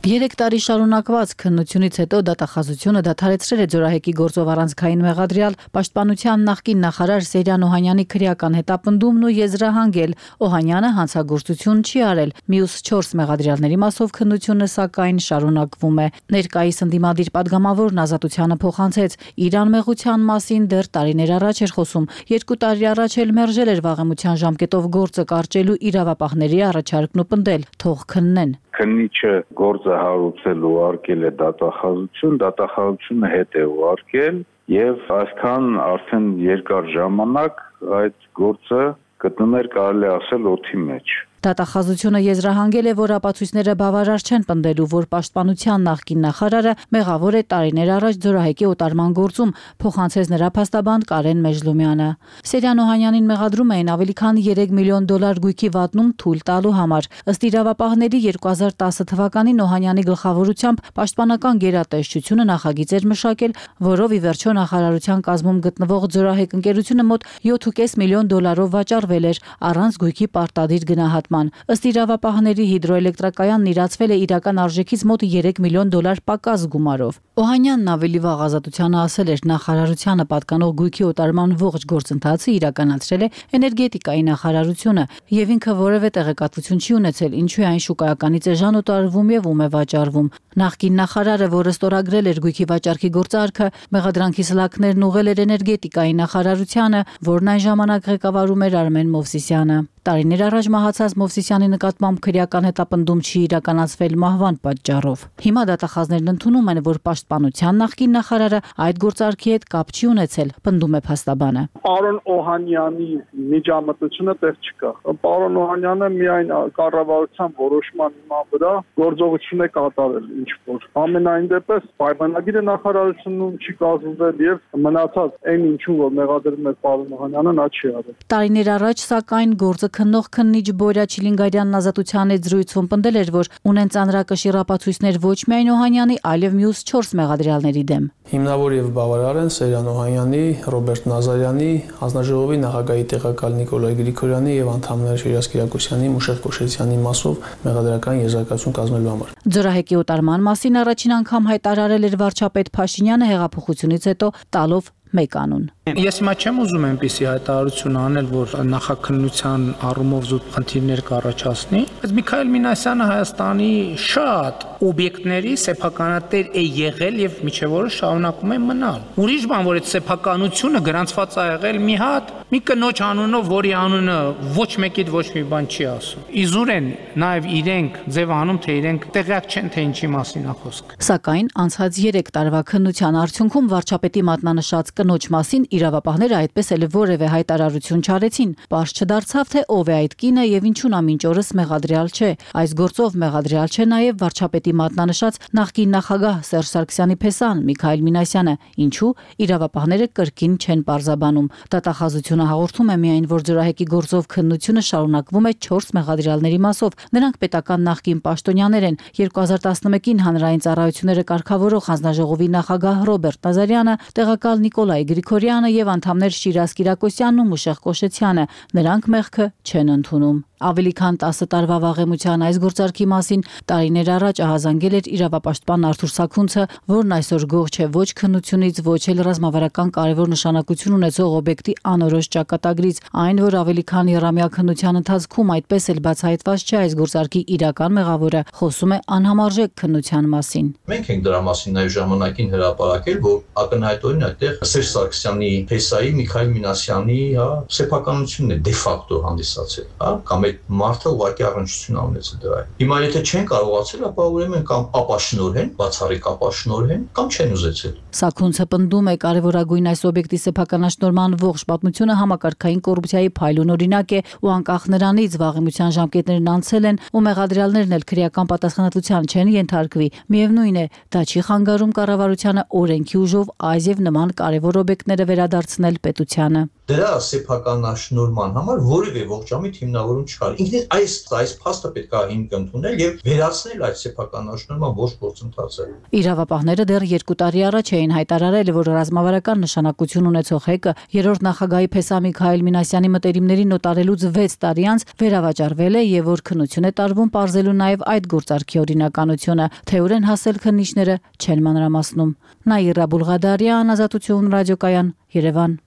Երեք տարի շարունակված քննությունից հետո դատախազությունը դադարեցրել է Զորահեկի գործով առանցքային մեղադրյալ պաշտպանության նախկին նախարար Սեյրան Օհանյանի քրեական հետապնդումն ու եզրահանգել Օհանյանը հանցագործություն չի արել։ Մյուս չորս մեղադրյալների մասով քննությունը սակայն շարունակվում է։ Ներկայիս ընդդիմադիր падգամավորն ազատությանը փոխանցեց իր անմեղության մասին դեռ տարիներ առաջ էր խոսում։ Երկու տարի առաջ էլ մերժել էր վաղեմության ժամկետով գործը կարճելու իրավապահների առաջարկն ու պնդել՝ թող քննեն։ Քննիչը գործը հարուցել ուղարկել է դատախազություն, դատախազությունը հետ է ուղարկել եւ այսքան արդեն երկար ժամանակ այդ գործը գտնում էր, կարելի ասել, օդի մեջ։ Դատախազությունը եզրահանգել է, որ ապացույցները բավարար չեն պնդելու, որ պաշտպանության նախկին նախարարը մեղավոր է տարիներ առաջ Զորահեկի օտարման գործում, փոխանցեց նրա փաստաբան Կարեն Մեժլումյանը։ Սեյրան Օհանյանին մեղադրում էին ավելի քան երեք միլիոն դոլար գույքի վատնում թույլ տալու համար։ Ըստ իրավապահների երկու հազար տասը թվականին Օհանյանի գլխավորությամբ պաշտպանական գերատեսչությունը նախագիծ էր մշակել, որով ի վերջո նախարարության կազմում գտնվող Զորահեք ընկերությունը մոտ յոթ կես միլիոն դոլարով վաճառվել էր առանց գույքի պարտադիր գնահատման։ Ըստ իրավապահների հիդրոէլեկտրակայանն իրացվել է իրական արժեքից մոտ երեք միլիոն դոլար պակաս գումարով։ Օհանյանն ավելի վաղ ազատությանը ասել էր, նախարարությանը պատկանող գույքի օտարման ողջ գործընթացը իրականացրել է էներգետիկայի նախարարությունը եւ ինքը որևէ տեղեկատվություն չի ունեցել, ինչու է այն շուկայականից էժան օտարվում եւ ում է վաճառվում։ Նախկին նախարարը, որը ստորագրել էր գույքի վաճառքի գործարքը, մեղադրանքի սլաքներն ուղղել էր էներգետիկայի նախարարությանը, որն այն ժամանակ ղեկավարում էր Արմեն Մովսիսյանը։ Տարիներ առաջ մահացած Մովսիսյանի նկատմամբ քրեական հետապնդում չի իրականացվել մահվան պատճառով։ Հիմա դատախազներն ընդունում են, որ պաշտպան պաշտպանության նախկին նախարարը այդ գործարքի հետ կապ չի ունեցել, պնդում է փաստաբանը։ Պարոն Օհանյանի միջամտությունը տեղ չկա։ Պարոն Օհանյանը միայն կառավարության որոշման հիման վրա գործողություն է կատարել ինչ որ։ Ամենայն դեպս պայմանագիրը նախարարությունում չի կազմվել եւ մնացած այն ինչու որ մեղադրում է պարոն Օհանյանը նա չի արել։ Տարիներ առաջ սակայն գործը քննող քննիչ Բորյա Չիլինգարյանն Ազատության հետ զրույցում պնդել էր, որ ունեն ծանրակշիռ ապացույցներ ոչ միայն Օհանյանի, այլև մյուս չորս մեղադրյալների դեմ։ Հիմնավոր եւ բավարար են Սերյան Օհանյանի, Ռոբերտ Նազարյանի, հանձնաժողովի նախագահի տեղակալ Նիկոլայ Գրիգորյանի եւ անդամներ Շիրազ Կիրակոսյանի, Մուշեղ Կոշեցյանի մասով մեղադրական եզրակացություն կազմելու համար։ Ձորահեկի օտարման մասին առաջին անգամ հայտարարել էր վարչապետ Փաշինյանը հեղափոխությունից հետո տալով մեկ անուն։ Ես հիմա չեմ ուզում այնպիսի հայտարարություն անել, որ նախաքննության առումով զուտ խնդիրներ կառաջացնի, բայց Միքայել Մինասյանը Հայաստանի շատ օբյեկտների սեփականատեր է եղել եւ միջև օրը շարունակում է մնալ։ Ուրիշ բան, որ այդ սեփականությունը գրանցված է եղել մի հատ մի կնոջ անունով, որի անունը ոչ մեկիդ ոչ մի բան չի ասում։ Իզուր են նաեւ իրենք ձևանում, թե իրենք տեղյակ չեն, թե ինչի մասին է խոսքը։ Սակայն անցած երեք տարվա քննության արդյունքում վարչապետի մատնանշած կնոջ մասին իրավապահները այդպես էլ որևէ հայտարարություն չարեցին։ Պարզ չդարձավ, թե ով է այդ կինը եւ ինչու նա մինչ օրս մեղադրյալ չէ։ Այս գործով մեղադրյալ չէ նաեւ վարչապետի մատնանշած նախկին նախագահ Սերժ Սարգսյանի փեսան Միքայել Մինասյանը, ինչու իրավապահները կրկին չեն պարզաբանում։ Դատախազությունը հաղորդում է միայն, որ Ձորահեկի գործով քննությունը շարունակվում է չորս մեղադրյալների մասով։ Նրանք պետական նախկին պաշտոնյաներ են։ երկու հազար տասնմեկին հանրային ծառայությունները կարգավորող հանձնաժողովի նախագահ Ռոբերտ Նազարյանը, տեղակալ Նիկոլայ Գրիգորյանը եւ անդամներ Շիրազ Կիրակոսյանն ու Մուշեղ Կոշեցյանը։ Նրանք մեղքը չեն ընդունում։ Ավելի քան տասը տարվա վաղեմության այս գործարքի մասին տարիներ առաջ ահազանգել էր իրավապաշտպան Արթուր Սաքունցը, որն այսօր գող չէ ոչ քննությունից, ոչ էլ ռազմավարական կարևոր նշանակություն ունեցող օբյեկտի անորոշ ճակատագրից, այն որ ավելի քան եռամյա քննության ընթացքում այդպես էլ բացահայտված չէ այս գործարքի իրական մեղավորը, խոսում է անհամարժեք քննության մասին։ Մենք ենք դրա մասին նաև ժամանակին հրապարակել, որ ակնհայտորեն այդտեղ Սերժ Սարգսյանի փեսայի Միքայել Մինասյանի, հա, սեփականությունն է դե ֆակտո հանդիսացել, հա, կամ մարդը ուղղակի առնչություն ունեցել դրա հետ։ Հիմա եթե չեն կարողացել, ապա ուրեմն կամ ապաշնորհեն, բացառիկ ապաշնորհեն, կամ չեն ուզեցել։ Սաքունցը պնդում է կարևորագույն այս օբյեկտի սեփականաշնորհման ողջ պատմությունը համակարգային կոռուպցիայի փայլուն օրինակ է ու անկախ նրանից վաղեմության ժամկետներն անցել են ու մեղադրյալներն էլ քրեական պատասխանատվության չեն ենթարկվի, միևնույն է, դա չի խանգարում կառավարությանը օրենքի ուժով այս եւ նման կարևոր օբյեկտները վերադարձնել պետությանը։ Դրա սեփականաշնորհման համար որևէ ողջամիտ հիմնավորում չկար։ Ինքնին այս այս փաստը պետք է հիմք ընդունել եւ վերացնել այդ սեփականաշնորհման ողջ գործընթացը։ Իրավապահները դեռ երկու տարի առաջ էին հայտարարել, որ ռազմավարական նշանակություն ունեցող հեկը երրորդ նախագահի փեսա Միքայել Մինասյանի մտերիմներին նոտարելուց վեց տարի անց վերավաճառվել է եւ որ քննություն է տարվում պարզելու նաեւ այդ գործարքի օրինականությունը, թե ուր են հասել քննիչները չեն մանրամասնում։ Նաիրա Բուլղադարյան, Ազատություն ռադիոկայան, Երևան։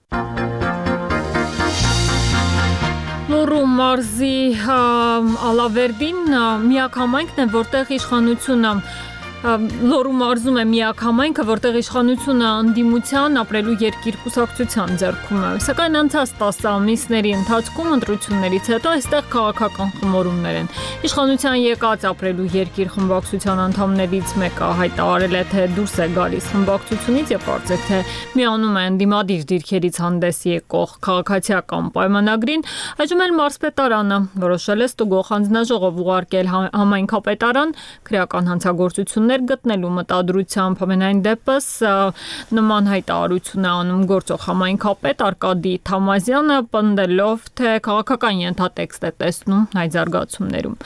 Լոռու մարզի Ալավերդին միակ համայնքն է, որտեղ իշխանությունը Լոռու մարզում է միակ համայնքը, որտեղ իշխանությունը ընդդիմության ապրելու երկիր կուսակցության ձեռքում է։ Սակայն անցած տասը ամիսների ընթացքում ընտրություններից հետո այստեղ քաղաքական խմորումներ են։ Իշխանության եկած ապրելու երկիր խմբակցության անդամներից մեկը հայտարարել է, թե դուրս է գալիս խմբակցությունից եւ կարծեք թե միանում է ընդդիմադիր դիրքերից հանդես եկող քաղաքացիական պայմանագրին։ Այժմ էլ մարզպետարանը որոշել է ստուգող հանձնաժողով ուղարկել համայնքապետարան քրեական հանցագործություններ գտնելու մտադրությամբ ամենայն դեպս նման հայտարարություն է անում գործող համայնքապետ Արկադի Թամազյանը, պնդելով, թե քաղաքական ենթատեքստ է տեսնում այդ զարգացումներում։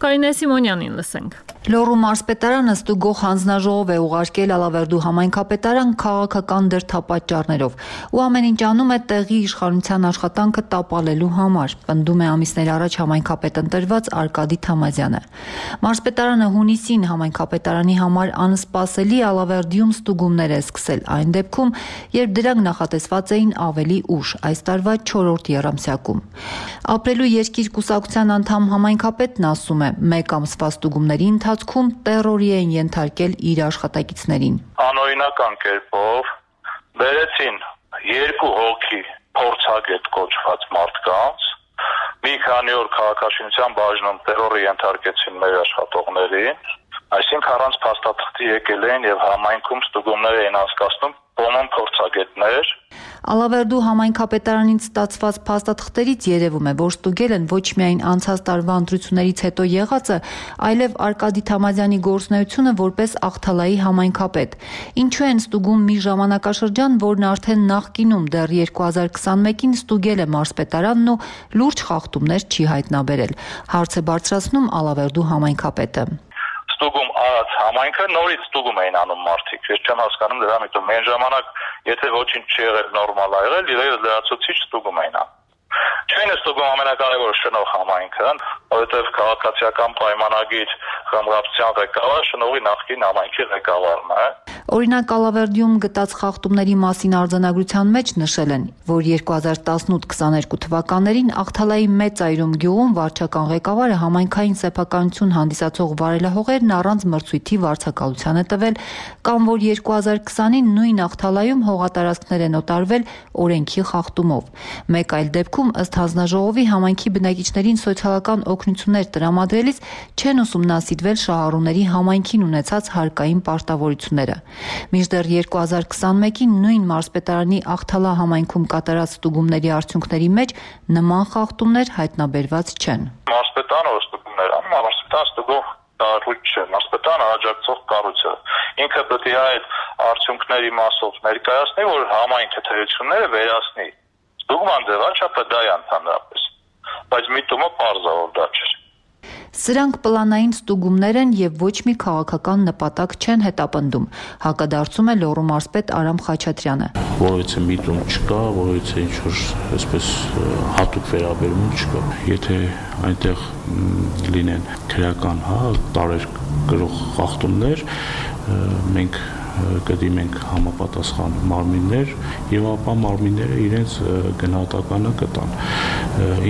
Կարինե Սիմոնյանին լսենք։ Լոռու մարզպետարանը ստուգող հանձնաժողով է ուղարկել Ալավերդու համայնքապետարան քաղաքական դրդապատճառներով ու ամեն ինչ անում է տեղի իշխանության աշխատանքը տապալելու համար, պնդում է ամիսներ առաջ համայնքապետ ընտրված Արկադի Թամազյանը։ Մարզպետարանը հունիսին համայնքապետարանի համար անսպասելի Ալավերդիում ստուգումներ է սկսել, այն դեպքում, երբ դրանք նախատեսված էին ավելի ուշ, այս տարվա չորրորդ եռամսյակում։ Ապրելու երկիր կուսակցության անդամ համայնքապետն ասում է, մեկ ամսվա ստուգումների ընթացքում տերորի են ենթարկել իր աշխատակիցներին։ Անօրինական կերպով բերեցին երկու հոգի փորձագետ կոչված մարդկանց, Մի քանի օր քաղաքաշինության բաժնում տերորի ենթարկեցին մեր աշխատողներին, այսինքն առանց փաստաթղթի եկել էին եւ համայնքում ստուգումներ էին անցկացնում բոմոն փորձագետներ։ Ալավերդու համայնքապետարանից ստացված փաստաթղթերից երևում է, որ ստուգել են ոչ միայն անցած տարվա ընտրություններից հետո եղածը, այլև Արկադի Թամազյանի գործունեությունը որպես Աղթալայի համայնքապետ։ Ինչու են ստուգում մի ժամանակաշրջան, որն արդեն նախկինում դեռ երկու հազար քսանմեկին ստուգել է մարզպետարանն ու լուրջ խախտումներ չի հայտնաբերել։ Հարց է բարձրացնում Ալավերդու համայնքապետը։ Ստուգում արած համայնքը նորից ստուգում էին անում մարդիկ։ Ես չեմ հասկանում դրա միտում։ Այն ժամանակ, եթե ոչինչ չի եղել, նորմալ ա եղել, իրենց լրացուցիչ ստուգում էին անում։ Չէին ստուգում ամենակարևորը շնորհ համայնքը, որովհետև քաղաքացիական պայմանագիր խմբգործության ղեկավար շնորհի նախկին համայնքի ղեկավարն է։ Օրինակ Ալավերդիում գտած խախտումների մասին արձանագրության մեջ նշել են, որ երկու հազար տասնութ քսաներկու թվականներին Աղթալայի Մեծ Այրում գյուղում վարչական ղեկավարը համայնքային սեփականություն հանդիսացող վարելահողերն առանց մրցույթի վարձակալության է տվել, կամ որ երկու հազար քսանին նույն Աղթալայում հողատարածքներ են օտարվել օրենքի խախտումով։ Մեկ այլ դեպքում ըստ հանձնաժողովի համայնքի բնակիչներին սոցիալական օգնություններ տրամադրելիս չեն ուսումնասիրվել շահառուների համայնքին ունեցած հարկային պարտավորությունները։ Մինչդեռ երկու հազար քսանմեկին նույն մարզպետարանի Աղթալա համայնքում կատարած ստուգումների արդյունքների մեջ նման խախտումներ հայտնաբերված չեն։ Մարզպետարանը որ ստուգումներ անում, մարզպետարանը ստուգող կառույց չէ, մարզպետարանը աջակցող կառույց է։ Ինքը պետք է այդ արդյունքների մասով ներկայացնի, որ համայնքը թերությունները վերացնի։ Ստուգման ձևաչափը դա է ընդհանրապես, բայց միտումը պարզ է, որ դա չէ։ Սրանք պլանային ստուգումներ են եւ ոչ մի քաղաքական նպատակ չեն հետապնդում, հակադարձում է Լոռու մարզպետ Արամ Խաչատրյանը։ Որովհետեւ միտում չկա, որովհետեւ ինչ որ այսպես հատուկ վերաբերում չկա։ Եթե այնտեղ լինեն քրեական, հա, տարեր գրող խախտումներ, մենք կդիմենք համապատասխան մարմիններ եւ ապա մարմինները իրենց գնահատականը կտան։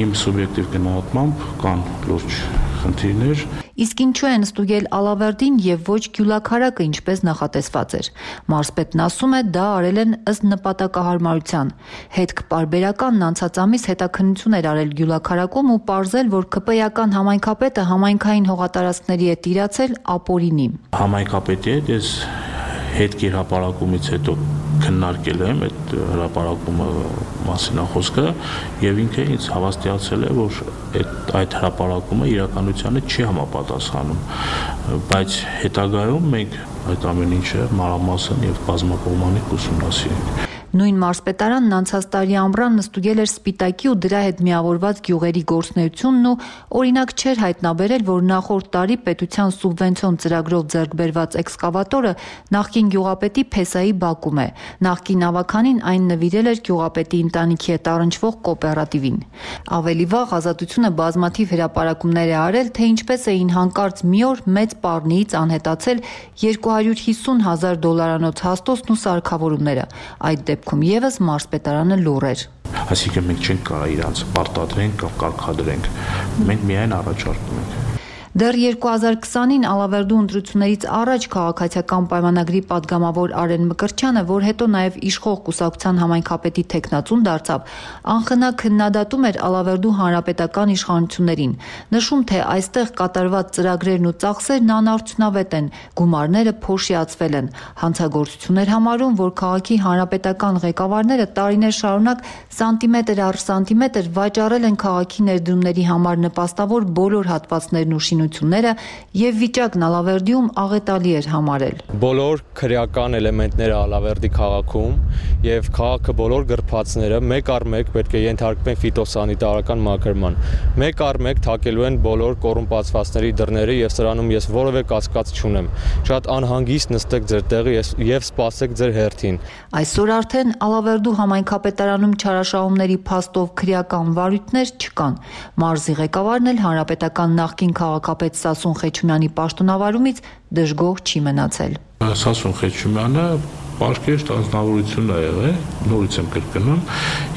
Իմ սուբյեկտիվ գնահատմամբ կան լուրջ խնդիրներ։ Իսկ ինչու են ստուգել Ալավերդին եւ ոչ Գյուլաքարակը, ինչպես նախատեսված էր։ Մարզպետն ասում է, դա արել են ըստ նպատակահարմարության։ Հետք պարբերականն անցած ամիս հետաքննություն էր արել Գյուլաքարակում ու պարզել, որ ԿՊ-ական համայնքապետը համայնքային հողատարածքների է տիրացել ապօրինի։ Համայնքապետի հետ ես հետքի հրապարակումից հետո քննարկել եմ այդ հրապարակումը մասին խոսքը եւ ինքը ինձ հավաստիացել է, որ այդ այդ հրապարակումը իրականությանը չի համապատասխանում, բայց հետագայում մենք այդ ամեն ինչը մանրամասն եւ բազմակողմանի ուսումնասիրենք։ Նույն մարզպետարանն անցած տարի ամռան ստուգել էր Սպիտակի ու դրա հետ միավորված գյուղերի գործունեությունն ու օրինակ չէր հայտնաբերել, որ նախորդ տարի պետության սուբվենցիոն ծրագրով ձեռք բերված էքսկավատորը նախկին գյուղապետի Փեսայի բակում է։ Նախկին ավականին այն նվիրել էր գյուղապետի ընտանիքի հետ առնչվող կոոպերատիվին։ Ավելի վաղ Ազատությունը բազմաթիվ հրապարակումներ է արել, թե ինչպես էին հանկարծ մի օր մեծ պառնիից անհետացել երկու հարյուր հիսուն հազար դոլարանոց հաստոցն ու սարքավորումները։ Այդ դեպքում եւս մարզպետարանը լուռ էր։ Այսինքն մենք չենք կարող իրանց պարտադրենք կամ կարգադրենք։ Մենք միայն առաջարկում ենք։ Դեռ երկու հազար քսանին Ալավերդու ընտրություններից առաջ քաղաքացիական պայմանագրի падգամավոր Արեն Մկրտչյանը, որ հետո նաև իշխող կուսակցության համայնքապետի տեխնացուն դարձավ, անխնա քննադատում էր Ալավերդու հանրապետական իշխանություններին, նշում, թե այստեղ կատարված ծրագրերն ու ծախսերն անարդյունավետ են, գումարները փոշիացվել են, հանցագործություններ համարում, որ քաղաքի հանրապետական ղեկավարները տարիներ շարունակ սանտիմետր առ սանտիմետր վաճառել են քաղաքի ներդրումների համար նպաստավոր բոլոր հատվածներն ու շինությունները եւ վիճակն Ալավերդիում աղետալի էր համարել։ Բոլոր քրեական էլեմենտները Ալավերդի քաղաքում եւ քաղաքը բոլոր գրփածները մեկ առ մեկ պետք է ենթարկվեն ֆիտոսանիտարական մակերման։ Մեկ առ մեկ թակելու են բոլոր կոռումպացվածների դռները եւ սրանում ես որևէ կասկած չունեմ։ Շատ անհանգիստ նստեք ձեր տեղը եւ սպասեք ձեր հերթին։ Այսօր արդեն Ալավերդու համայնքապետարանում չարաշահումների փաստով քրեական վարույթներ չկան։ Մարզի ղեկավարն էլ հանրապետական նախկին քաղաքապետ Սասուն Խեչումյանի պաշտոնավարումից դժգոհ չի մնացել։ Սասուն Խեչումյանը պարկեշտ անձնավորություն է եղել, նորից եմ կրկնում,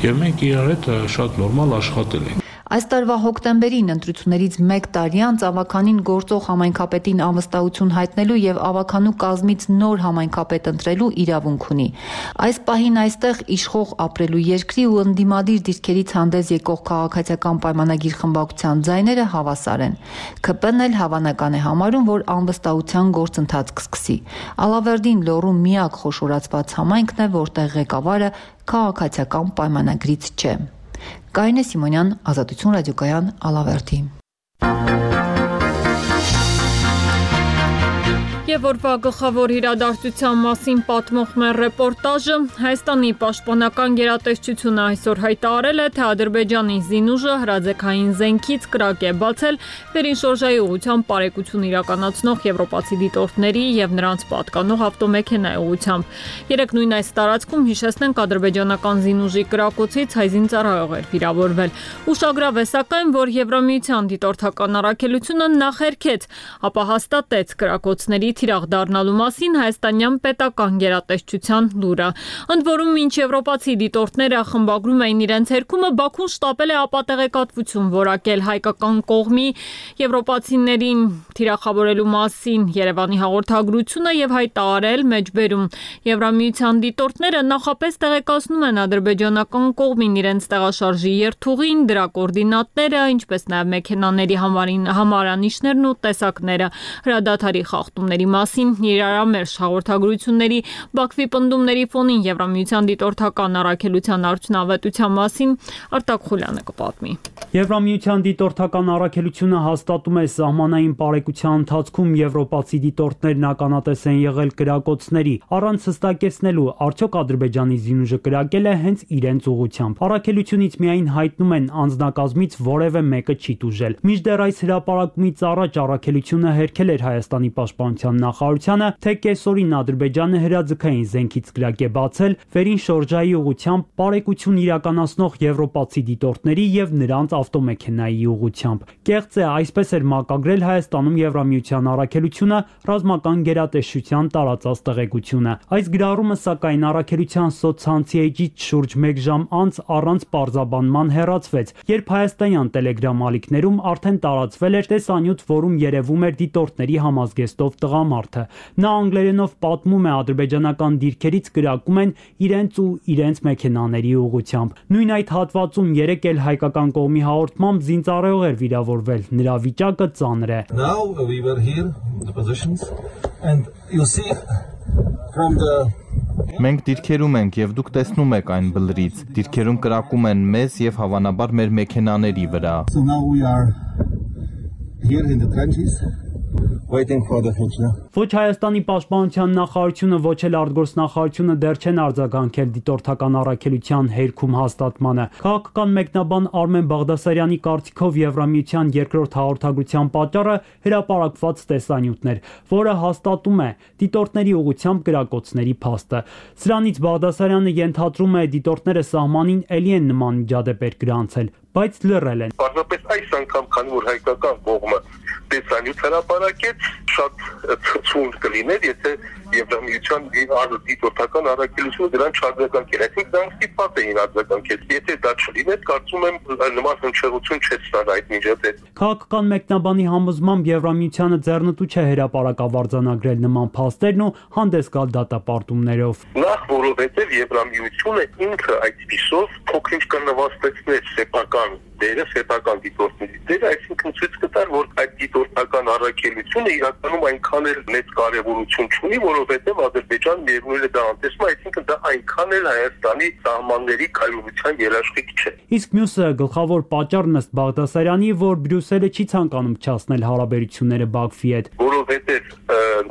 եւ մենք իրար հետ շատ նորմալ աշխատել ենք։ Այս տարվա հոկտեմբերին ընտրություններից մեկ տարի անց ավականին գործող համայնքապետին անվստահություն հայտնելու եւ ավականու կազմից նոր համայնքապետ ընտրելու իրավունք ունի։ Այս պահին այստեղ իշխող ապրելու երկրի ու ընդդիմադիր դիրքերից հանդես եկող քաղաքացիական պայմանագիր խմբակցության ձայները հավասար են։ ՔՊ-ն էլ հավանական է համարում, որ անվստահության գործընթաց կսկսի։ Ալավերդին Լոռու միակ խոշորացված համայնքն է, որտեղ ղեկավարը քաղաքացիական պայմանագրից չէ։ Կարինե Սիմոնյան, Ազատություն ռադիոկայան, Ալավերդի։ Եվ որվա գլխավոր իրադարձության մասին պատմող մեր ռեպորտաժը Հայաստանի պաշտպանական գերատեսչությունը այսօր հայտարարել է, թե Ադրբեջանի զինուժը հրաձգային զենքից կրակ է բացել վերին շորժայի ուղղությամբ պարեկություն իրականացնող եվրոպացի դիտորդների եւ նրանց պատկանող ավտոմեքենայի ուղղությամբ։ Երեք նույն այս տարածքում հիշեցնենք ադրբեջանական զինուժի կրակոցից հայ զինծառայող էր վիրավորվել։ Ուշագրավ է սակայն, որ Եվրամիության դիտորդական առաքելությունը նախերքեց, ապա հաստատեց կրակոցների թիրախ դառնալու մասին հայաստանյան պետական գերատեսչության լուրը։ Ընդ որում, մինչ եվրոպացի դիտորդները խմբագրում էին իրենց հերքումը, Բաքուն շտապել է ապատեղեկատվություն որակել հայկական կողմի եվրոպացիներին թիրախավորելու մասին Երևանի հաղորդագրությունը եւ հայտարարել մեջբերում։ Եվրամիության դիտորդները նախապես տեղեկացնում են ադրբեջանական կողմին իրենց տեղաշարժի երթուղին, դրա կոորդինատները, ինչպես նաեւ մեքենաների համարանիշներն ու տեսակները, հրադադարի խախտումների մասին իրարամերժ հաղորդագրությունների Բաքվի պնդումների ֆոնին Եվրամիության դիտորդական առաքելության արդյունավետության մասին Արտակ Խուլյանը կպատմի։ Եվրամիության դիտորդական առաքելությունը հաստատում է սահմանային պարեկության ընթացքում եվրոպացի դիտորդներն ականատես են եղել կրակոցների, առանց հստակեցնելու արդյոք Ադրբեջանի զինուժը կրակել է հենց իրենց ուղղությամբ։ Առաքելությունից միայն հայտնում են անձնակազմից որևէ մեկը չի տուժել։ Մինչդեռ այս հրապարակումից առաջ առաքելությունը հերքել էր Հայաստանի պաշտպանության նախարարությանը, թե կեսօրին Ադրբեջանը հրաձգային զենքից կրակ է բացել վերին շորժայի ուղղությամբ պարեկություն իրականացնող եվրոպացի դիտորդների եւ նրանց ավտոմեքենայի ուղղությամբ։ Կեղծ է, այսպես էր մակագրել Հայաստանում Եվրամիության առաքելությունը ռազմական գերատեսչության տարածած տեղեկությունը։ Այս գրառումը սակայն առաքելության սոցցանցի էջից շուրջ մեկ ժամ անց առանց պարզաբանման հեռացվեց, երբ հայաստանյան Telegram ալիքներում արդեն տարածվել էր տեսանյութ, որում երևում էր դիտորդների համազգեստով տղամարդը։ Նա անգլերենով պատմում է ադրբեջանական դիրքերից կրակում են իրենց ու իրենց մեքենաների ուղղությամբ։ Նույն այդ հատվածում երեք էլ հայկական կողմի հաղորդմամբ զինծառայող էր վիրավորվել, նրա վիճակը ծանր է։ Now we were here in the positions and you see from the Մենք դիրքերում ենք եւ դուք տեսնում եք այն բլրից։ Դիրքերում կրակում են մեզ եւ հավանաբար մեր մեքենաների վրա։ So now we are here in the trenches. Waiting for the future. Ոչ Հայաստանի պաշտպանության նախարարությունը, ոչ էլ արտգործնախարարությունը դեռ չեն արձագանքել դիտորդական առաքելության հերքում հաստատմանը։ Քաղաքական մեկնաբան Արմեն Բաղդասարյանի կարծիքով Եվրամիության երկրորդ հաղորդագրության պատճառը հրապարակված տեսանյութն էր, որը հաստատում է դիտորդների ուղղությամբ կրակոցների փաստը։ Սրանից Բաղդասարյանը ենթադրում է դիտորդները սահմանին էլի են նման միջադեպեր գրանցել, բայց լռել են։ Պարզապես այս անգամ, քանի որ հայկական կողմը տեսանյութ հրապարակեց, շատ ցույց կլիներ, եթե Եվրամիության դիտորդական առաքելությունը դրան չարձագանքեր։ Այսինքն դրանք ստիպված էին արձագանքել։ Եթե դա չլիներ, կարծում եմ նման հնչեղություն չէ ստանա այդ միջադեպ։ Քաղաքական մեկնաբանի համոզմամբ Եվրամիությանը ձեռնտու չէ հրապարակավարձանագրել նման փաստերն ու հանդես գալ դատապարտումներով։ Նախ որովհետև Եվրամիությունը ինքը այդպիսով փոքրինչ կնվաստեցներ սեփական դերը, սեփական դիտորդների դերը, այսինքն ցույց կտար, որ այդ դիտորդական առաքելությունը իրականում այնքան էլ մեծ կարևորություն չունի, որովհետև Ադրբեջանն միևնույն է դա անտեսում, այսինքն դա այնքան էլ Հայաստանի սահմանների կայունության երաշխիք չէ։ Իսկ մյուսը գլխավոր պատճառն ըստ Բաղդասարյանի, որ Բրյուսելը չի ցանկանում չացնել հարաբերությունները Բաքվի հետ, որովհետև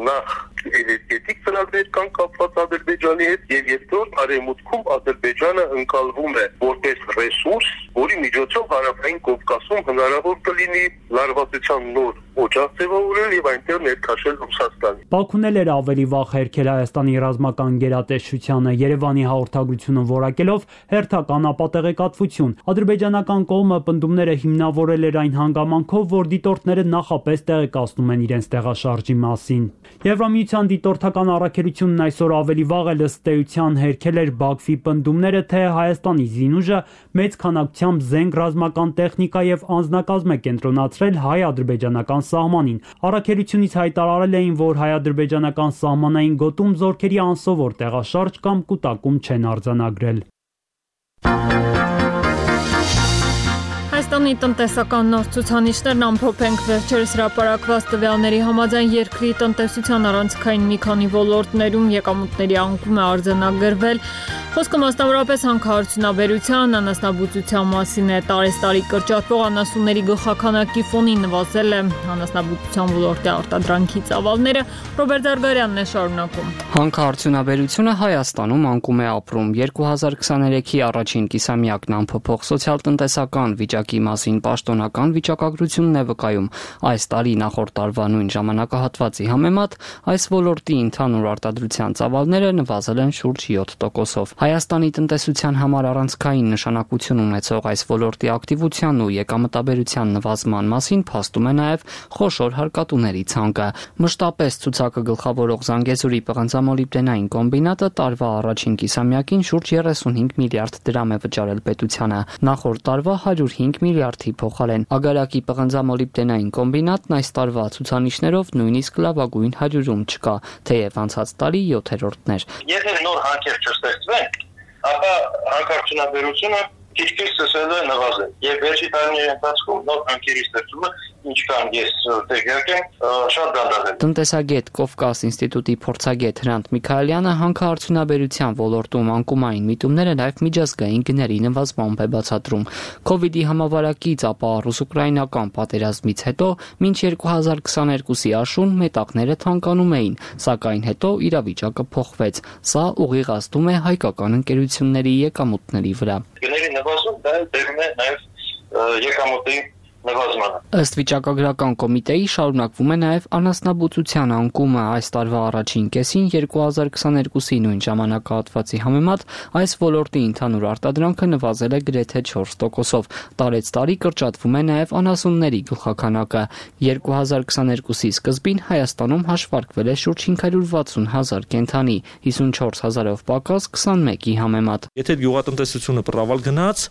նախ էներգետիկ ծրագրեր կան կապված Ադրբեջանի հետ եւ երկրորդ արևմուտքում Ադրբեջանը ընկալվում է որպես ռեսուրս, որի միջոցով հարավային Կովկասում հնարավոր կլինի լարվածության նոր օջախ ձևավորել եւ այնտեղ ներքաշել Ռուսաստանին։ Բաքուն էլ էր ավելի վաղ հերքել Հայաստանի ռազմական գերատեսչությանը, Երևանի հաղորդագրությունը որակելով հերթական ապատեղեկատվություն։ Ադրբեջանական կողմը պնդումները հիմնավորել էր այն հանգամանքով, որ դիտորդները նախապես տեղեկացնում են իրենց տեղաշարժի մասին։ Եվրամիության դիտորդական առաքելությունն այսօր ավելի վաղ էլ ըստ էության հերքել էր Բաքվի պնդումները, թե Հայաստանի զինուժը մեծ քանակությամբ զենք, ռազմական տեխնիկա եւ անձնակազմ է կենտրոնացրել հայ-ադրբեջանական սահմանին։ Առաքելությունից հայտարարել էին, որ հայ-ադրբեջանական սահմանային գոտում զորքերի անսովոր տեղաշարժ կամ կուտակում չեն արձանագրել։ Հայաստանի տնտեսական նոր ցուցանիշներն ամփոփ ենք վերջերս հրապարակված տվյալների համաձայն երկրի տնտեսության առանցքային մի քանի ոլորտներում եկամուտների անկում է արձանագրվել։ Խոսքը մասնավորապես հանքարդյունաբերության, անասնաբուծության մասին է։ Տարեստարի կրճատվող անասունների գլխաքանակի ֆոնին նվազել է անասնաբուծության ոլորտի արտադրանքի ծավալները։ Ռոբերտ Զարգարյանն է շարունակում։ Հանքարդյունաբերությունը Հայաստանում անկում է ապրում։ երկու հազար քսաներեքի առաջին կիսամյակն ամփոփող սոցիալ-տնտեսական վիճակի մասին պաշտոնական վիճակագրությունն է վկայում։ Այս տարի նախորդ տարվա նույն ժամանակահատվածի համեմատ այս ոլորտի ընդհանուր արտադրության ծավալները նվազել են շուրջ յոթ տոկոսով։ Հայաստանի տնտեսության համար առանցքային նշանակություն ունեցող այս ոլորտի ակտիվության ու եկամտաբերության նվազման մասին փաստում է նաև խոշոր հարկատուների ցանկը։ Մշտապես ցուցակը գլխավորող Զանգեզուրի պղնձամոլիբդենային կոմբինատը տարվա առաջին կիսամյակին շուրջ երեսունհինգ միլիարդ դրամ է վճարել պետությանը։ Նախորդ տարվա հարյուր հինգ միլիարդի փոխարեն։ Ագարակի պղնձամոլիբդենային կոմբինատն այս տարվա ցուցանիշներով նույնիսկ լավագույն հարյուրում չկա, թեև անցած տարի յոթերորդն էր։ Եթե նոր հանքեր չստեղծվեն, ապա հանքարդյունաբերությունը քիչ-քիչ սկսել է նվազել։ Եվ վերջի տարիների ընթացքում նոր հանքերի ստեղծումը ինչքան ես տեղյակ եմ, շատ դանդաղ է։ Տնտեսագետ Կովկաս ինստիտուտի փորձագետ Հրանտ Միքայելյանը հանքարդյունաբերության ոլորտում անկումային միտումները նաև միջազգային գների նվազմամբ է բացատրում։ Քովիդի համավարակից, ապա ռուս-ուկրաինական պատերազմից հետո մինչ երկու հազար քսաներկուսի աշուն մետաղները թանկանում էին, սակայն հետո իրավիճակը փոխվեց։ Սա ուղիղ ազդում է հայկական ընկերությունների եկամուտների վրա։ Գների նվազում դա դերում է նաև եկամուտի նվազմանը։ Ըստ վիճակագրական կոմիտեի շարունակվում է նաև անասնաբուծության անկումը։ Այս տարվա առաջին կեսին երկու հազար քսաներկուսի նույն ժամանակահատվածի համեմատ այս ոլորտի ընդհանուր արտադրանքը նվազել է գրեթե չորս տոկոսով։ Տարեց տարի կրճատվում է նաև անասունների գլխաքանակը։ երկու հազար քսաներկուսի սկզբին Հայաստանում հաշվարկվել է շուրջ հինգ հարյուր վաթսուն հազար կենդանի, հիսունչորս հազարով պակաս քսանմեկի համեմատ։ Եթե գյուղատնտեսությունը պրավալ գնաց,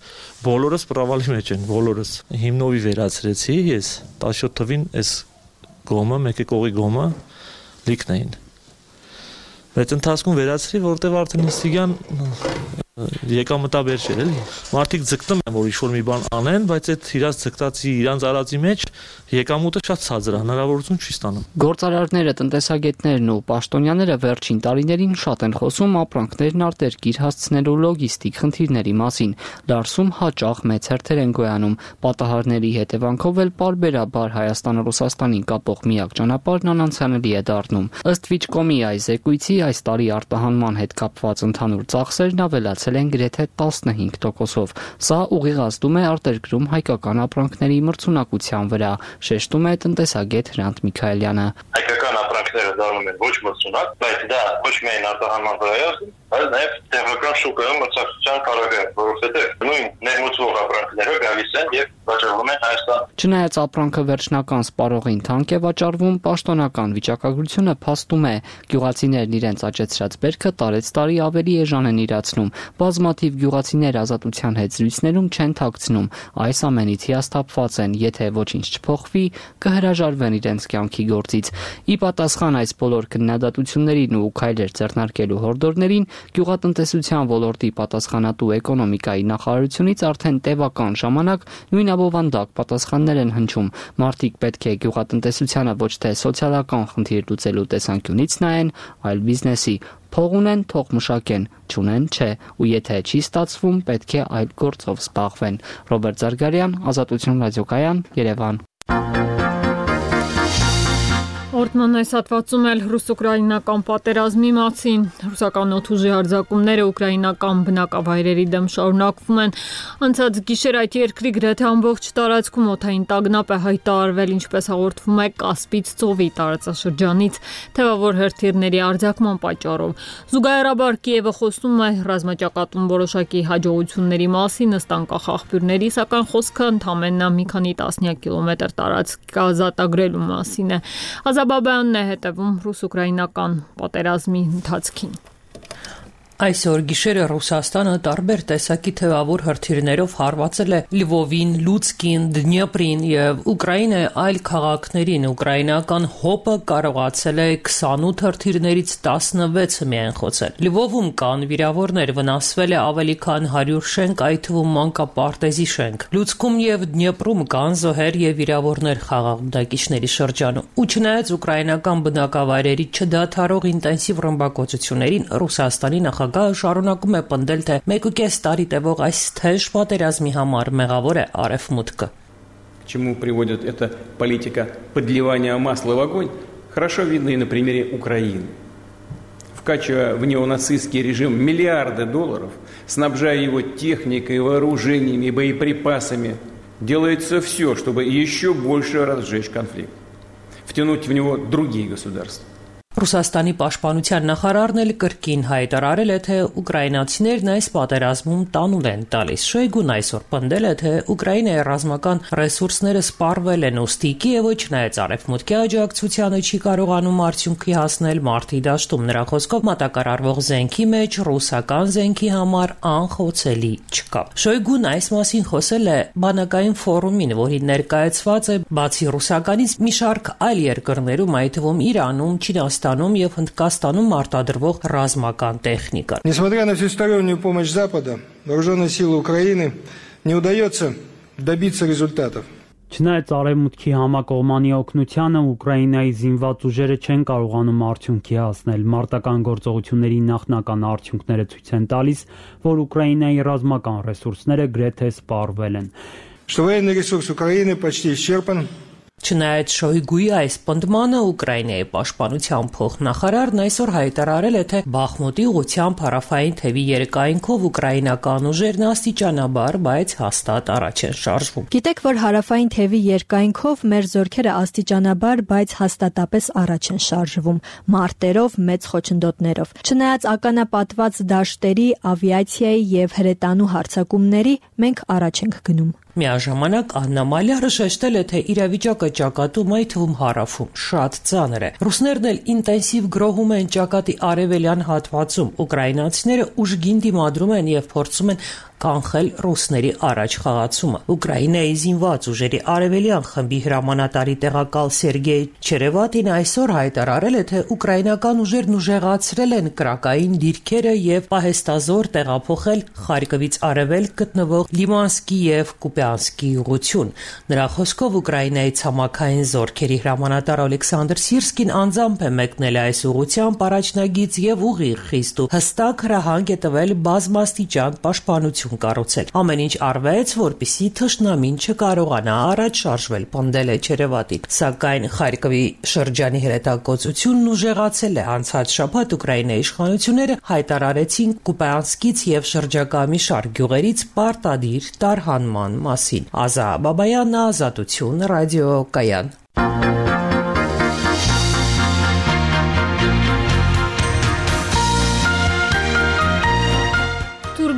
բոլորս պրավալի մեջ են, բոլորս։ Հիմնովի վերացրեցի ես տասնյոթ թվին այս գոմը, մեկ կողի գոմը լիքն էին։ Բայց ընթացքում վերացրի, որտեղ արդեն Սիգան եկամտաբեր չէր, էլի։ Մարդիկ ձգտում են, որ ինչ-որ մի բան անեն, բայց այդ իրաց ձգտածի, իրանց արածի մեջ եկամուտը շատ ցածր է, հնարավորություն չի ստանում։ Գործարարները, տնտեսագետներն ու պաշտոնյաները վերջին տարիներին շատ են խոսում ապրանքներն արտերկիր հասցնելու լոգիստիկ խնդիրների մասին։ Դարսում հաճախ մեծ հերթեր են գոյանում։ Պատահարների հետևանքով էլ պարբերաբար Հայաստանը Ռուսաստանին կապող միակ ճանապարհն անանցանելի է դառնում։ Ըստ Վիճկոմի այս զեկույցի այս տարի արտահանման հետ կապված ընդհանուր ծախսերն ավելացել են գրեթե տասնհինգ տոկոսով։ Սա ուղիղ ազդում է արտերկրում հայկական ապրանքների մրցունակության վրա, շեշտում է տնտեսագետ Հրանտ Միքայելյանը։ Հայկական ապրանքները դառնում են ոչ մրցունակ, բայց դա ոչ միայն արտահանման վրա է, այլ նաև տեղական շուկայում մրցակցության կարագը, որովհետև նույն ներմուծվող ապրանքները գալիս են եւ վաճառվում են Հայաստան։ Չնայած ապրանքը վերջնական սպառողին թանկ է վաճառվում, պաշտոնական վիճակագրությունը փաստում է, գյուղացիներն իրենց աճեցրած բերքը տարեց տարի ավելի էժան են իրացնում։ Բազմաթիվ գյուղացիներ ազատության հետ զրույցներում չեն թաքցնում, այս ամենից հիասթափված են, եթե ոչինչ չփոխվի, կհրաժարվեն իրենց կյանքի գործից։ Ի պատասխան այս բոլոր քննադատություններին ու քայլեր ձեռնարկելու հորդորներին, գյուղատնտեսության ոլորտի պատասխանատու էկոնոմիկայի նախարարությունից արդեն տևական ժամանակ նույն ավանդակ պատասխաններ են հնչում։ Մարդիկ պետք է գյուղատնտեսությանը ոչ թե սոցիալական խնդիր լուծելու տեսանկյունից նայեն, այլ բիզնեսի։ Փող ունեն, թող մշակեն, չունեն, չէ, ու եթե չի ստացվում, պետք է այլ գործով զբաղվեն։ Ռոբերտ Զարգարյան, Ազատություն ռադիոկայան, Երևան։ Օրդման այս հատվածում էլ ռուս-ուկրաինական պատերազմի մասին ռուսական օդուժի հարձակումները ուկրաինական բնակավայրերի դեմ շարունակվում են։ Անցած գիշեր այդ երկրի գրեթե ամբողջ տարածքում օդային տագնապ է հայտարարվել, ինչպես հաղորդվում է Կասպից ծովի տարածաշրջանից թևավոր հրթիռների արձակման պատճառով։ Զուգահեռաբար Կիևը խոսում է ռազմաճակատում որոշակի հաջողությունների մասին ըստ անկախ աղբյուրների, սակայն խոսքը ընդամենը մի քանի տասնյակ կիլոմետր տարածք ազատագրելու մասին է։ Ազաբաբյանն է հետևում ռուս-ուկրաինական պատերազմի ընթացքին։ Այսօր գիշերը Ռուսաստանը տարբեր տեսակի թևավոր հրթիռներով հարվածել է Լьвովին, Լուցկին, Դնյեպրին եւ Ուկրաինայի այլ քաղաքներին։ Ուկրաինական հոպը կարողացել է քսանութ հրթիռներից տասնվեցը միայն խոցել։ Լьвովում կան վիրավորներ, վնասվել է ավելի քան հարյուր շենք, այդ թվում մանկապարտեզի շենք։ Լուցկում եւ Դնյեպրում կան զոհեր եւ վիրավորներ խաղաղ բնակիչների շրջանում։ Ու չնայած ուկրաինական բնակավայրերի չդադարող ինտենսիվ ռմբակոծություններին, Ռուսաստանի նախագահ շարունակում է պնդել, թե մեկուկես տարի տևող այս թեժ պատերազմի համար մեղավոր է Արևմուտքը։ К чему приводит эта политика подливания масла в огонь, хорошо видно и на примере Украины. Вкачивая в неонацистский режим миллиарды долларов, снабжая его техникой, вооружениями и боеприпасами, делается все, чтобы еще больше разжечь конфликт, втянуть в него другие государства. Ռուսաստանի պաշտպանության նախարարն էլ կրկին հայտարարել է, թե ուկրաինացիներն այս պատերազմում տանուլ են տալիս։ Շոյգուն այսօր պնդել է, թե Ուկրաինայի ռազմական ռեսուրսները սպառվել են, ուստի Կիևը չնայած արևմուտքի աջակցությանը չի կարողանում արդյունքի հասնել մարտի դաշտում։ Նրա խոսքով մատակարարվող զենքի մեջ ռուսական զենքի համար անխոցելի չկա։ Շոյգուն այս մասին խոսել է բանակային ֆորումին, որին ներկայացված է բացի ռուսականից մի շարք այլ երկրներում, այդ թվում Իրանում, Չինաստանում եւ Հնդկաստանում արտադրվող ռազմական տեխնիկա։ Несмотря на всестороннюю помощь Запада, вооруженные силы Украины не удается добиться результатов. Չնայած արևմուտքի համակողմանի օգնությանը Ուկրաինայի զինված ուժերը չեն կարողանում արդյունքի հասնել։ Մարտական գործողությունների նախնական արդյունքները ցույց են տալիս, որ Ուկրաինայի ռազմական ռեսուրսները գրեթե սպառվել են։ Что военный ресурс Украины почти исчерпан. Չնայած Շոյգուի այս պնդմանը Ուկրաինայի պաշտպանության փոխնախարարն այսօր հայտարարել է, թե Բախմուտի ուղղությամբ հարավային թևի երկայնքով ուկրաինական ուժերն աստիճանաբար, բայց հաստատ առաջ են շարժվում։ Գիտեք, որ հարավային թևի երկայնքով մեր զորքերը աստիճանաբար, բայց հաստատապես առաջ են շարժվում, մարտերով, մեծ խոչընդոտներով։ Չնայած ականապատված դաշտերի, ավիացիայի եւ հրետանու հարձակումների, մենք առաջ ենք գնում։ Միաժամանակ Աննա Մալյարը շեշտել է, թե իրավիճակը ճակատում, այդ թվում հարավում, շատ ծանր է։ Ռուսներն էլ ինտենսիվ գրոհում են ճակատի արևելյան հատվածում։ Ուկրաինացիները ուժգին դիմադրում են եւ փորձում են կանխել ռուսների առաջ խաղացումը։ Ուկրաինայի զինված ուժերի արևելյան խմբի հրամանատարի տեղակալ Սերգեյ Չերևատին այսօր հայտարարել է, թե ուկրաինական ուժերն ուժեղացրել են կրակային դիրքերը եւ պահեստազոր տեղափոխել Խարկովից արևելք գտնվող Լիմանսկի եւ Կուպյանսկի ուղղություն։ Նրա խոսքով Ուկրաինայի ցամաքային զորքերի հրամանատար Ալեքսանդր Սիրսկին անձամբ է մեկնել այս ուղղությամբ առաջնագիծ եւ ուղիղ խիստ ու հստակ հրահանգ է տվել բազմաստիճան պաշտպանություն կառուցել։ Ամեն ինչ արվեց, որպեսզի թշնամին չկարողանա առաջ շարժվել, պնդել է Չերևատին։ Սակայն Խարկովի շրջանի հրետակոծությունն ուժեղացել է։ Անցած շաբաթ Ուկրաինայի իշխանությունները հայտարարեցին Կուպյանսկից եւ շրջակա մի շարք գյուղերից պարտադիր տարհանման մասին։ Ազա Բաբայան, Ազատություն, ռադիոկայան։